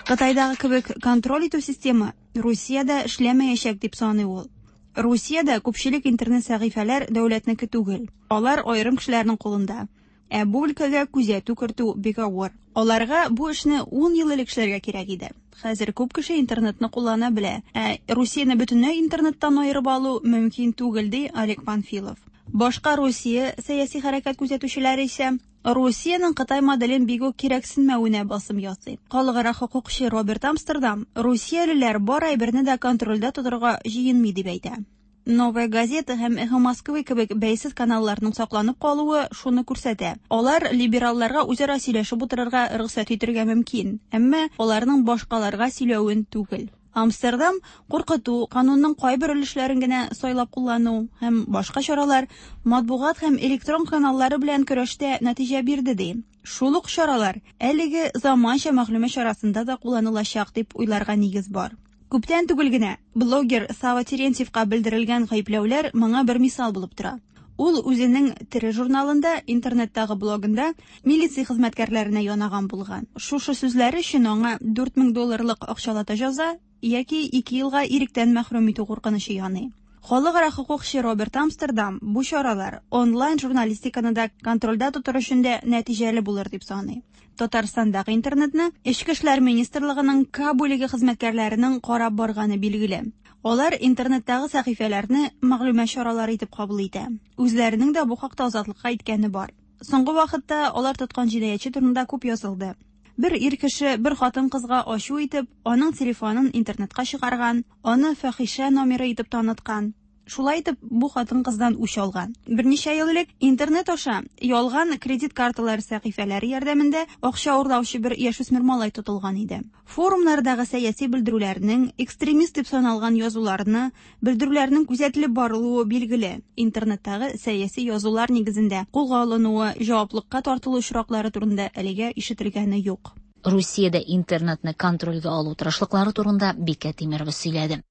[SPEAKER 34] Кытайдагы кебек контроль итү системы Русиядә эшләмәячәк дип саный ул. Русиядә күпчелек интернет сәхифәләр дәүләтнеке түгел. Алар аерым кешеләрнең кулында. Ә бу өлкәгә күзәтү кертү бик авыр. Аларга бу эшне ун ел элек эшләргә кирәк иде. Хәзер күп кеше интернетны куллана белә. Ә Русияне бөтенләй интернеттан аерып алу мөмкин түгел, ди Олег Панфилов. Башка Русия сәяси хәрәкәт күзәтүчеләре исә Русиянең Кытай моделен бик үк кирәксенмәвенә басым ясый. Халыкара хокукчы Роберт Амстердам русиялеләр бар әйберне дә контрольдә тотарга җыенмый дип әйтә. Новая газета һәм Эхо Москвы кебек бәйсез каналларның сакланып калуы шуны күрсәтә. Алар либералларга үзара сөйләшеп утырырга рөхсәт итәргә мөмкин, әмма аларның башкаларга сөйләвен түгел. Амстердам куркыту, канунның кайбер өлешләрен генә сайлап куллану һәм башка чаралар матбугат һәм электрон каналлары белән көрәштә нәтиҗә бирде ди. Шул ук чаралар әлеге заманча мәгълүмат чарасында да кулланылачак дип уйларга нигез бар. Күптән түгел генә блогер Сава Терентьевка белдерелгән гаепләүләр моңа бер мисал булып тора. Ул үзенең тере журналында, интернеттагы блогында милиция хезмәткәрләренә янаган булган. Шушы сүзләре өчен аңа дүрт мең долларлык акчалата җәза яки ике елга иректән мәхрүм итү куркынычы яный. Халыкара хокукчы Роберт Амстердам бу чаралар онлайн журналистиканы да контрольдә тотар өчен дә нәтиҗәле булыр дип саный. Татарстандагы интернетны Эчке эшләр министрлыгының К бүлеге хезмәткәрләренең карап барганы билгеле. Алар интернеттагы сәхифәләрне мәгълүмат чаралары итеп кабул итә. Үзләренең дә бу хакта азатлыкка әйткәне бар. Соңгы вакытта алар тоткан җинаятьче турында күп язылды. Бер ир кеше бер хатын-кызга ачу итеп, аның телефонын интернетка чыгарган, аны фахишә номеры итеп таныткан. Шулай итеп, бу хатын-кыздан үч алган. Берничә ел элек интернет аша ялган кредит карталары сәхифәләре ярдәмендә акча урлаучы бер яшүсмер малай тотылган иде. Форумнардагы сәяси белдерүләрнең, экстремист дип саналган язуларны, белдерүләрнең күзәтелеп барылуы билгеле. Интернеттагы сәяси язулар нигезендә кулга алынуы, җаваплыкка тартылу очраклары турында әлегә ишетелгәне юк.
[SPEAKER 2] Русиядә интернетны контрольгә алу тырышлыклары турында Бикә Тимирова сөйләде.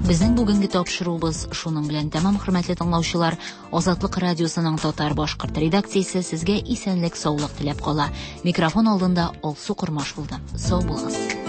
[SPEAKER 2] Безнең бүгенге тапшыруыбыз шуның белән тәмам, хөрмәтле тыңлаучылар. Азатлык радиосының татар башкорт редакциясе сезгә исәнлек, саулык теләп кала. Микрофон алдында Алсу Кормаш булды. Сау булыгыз.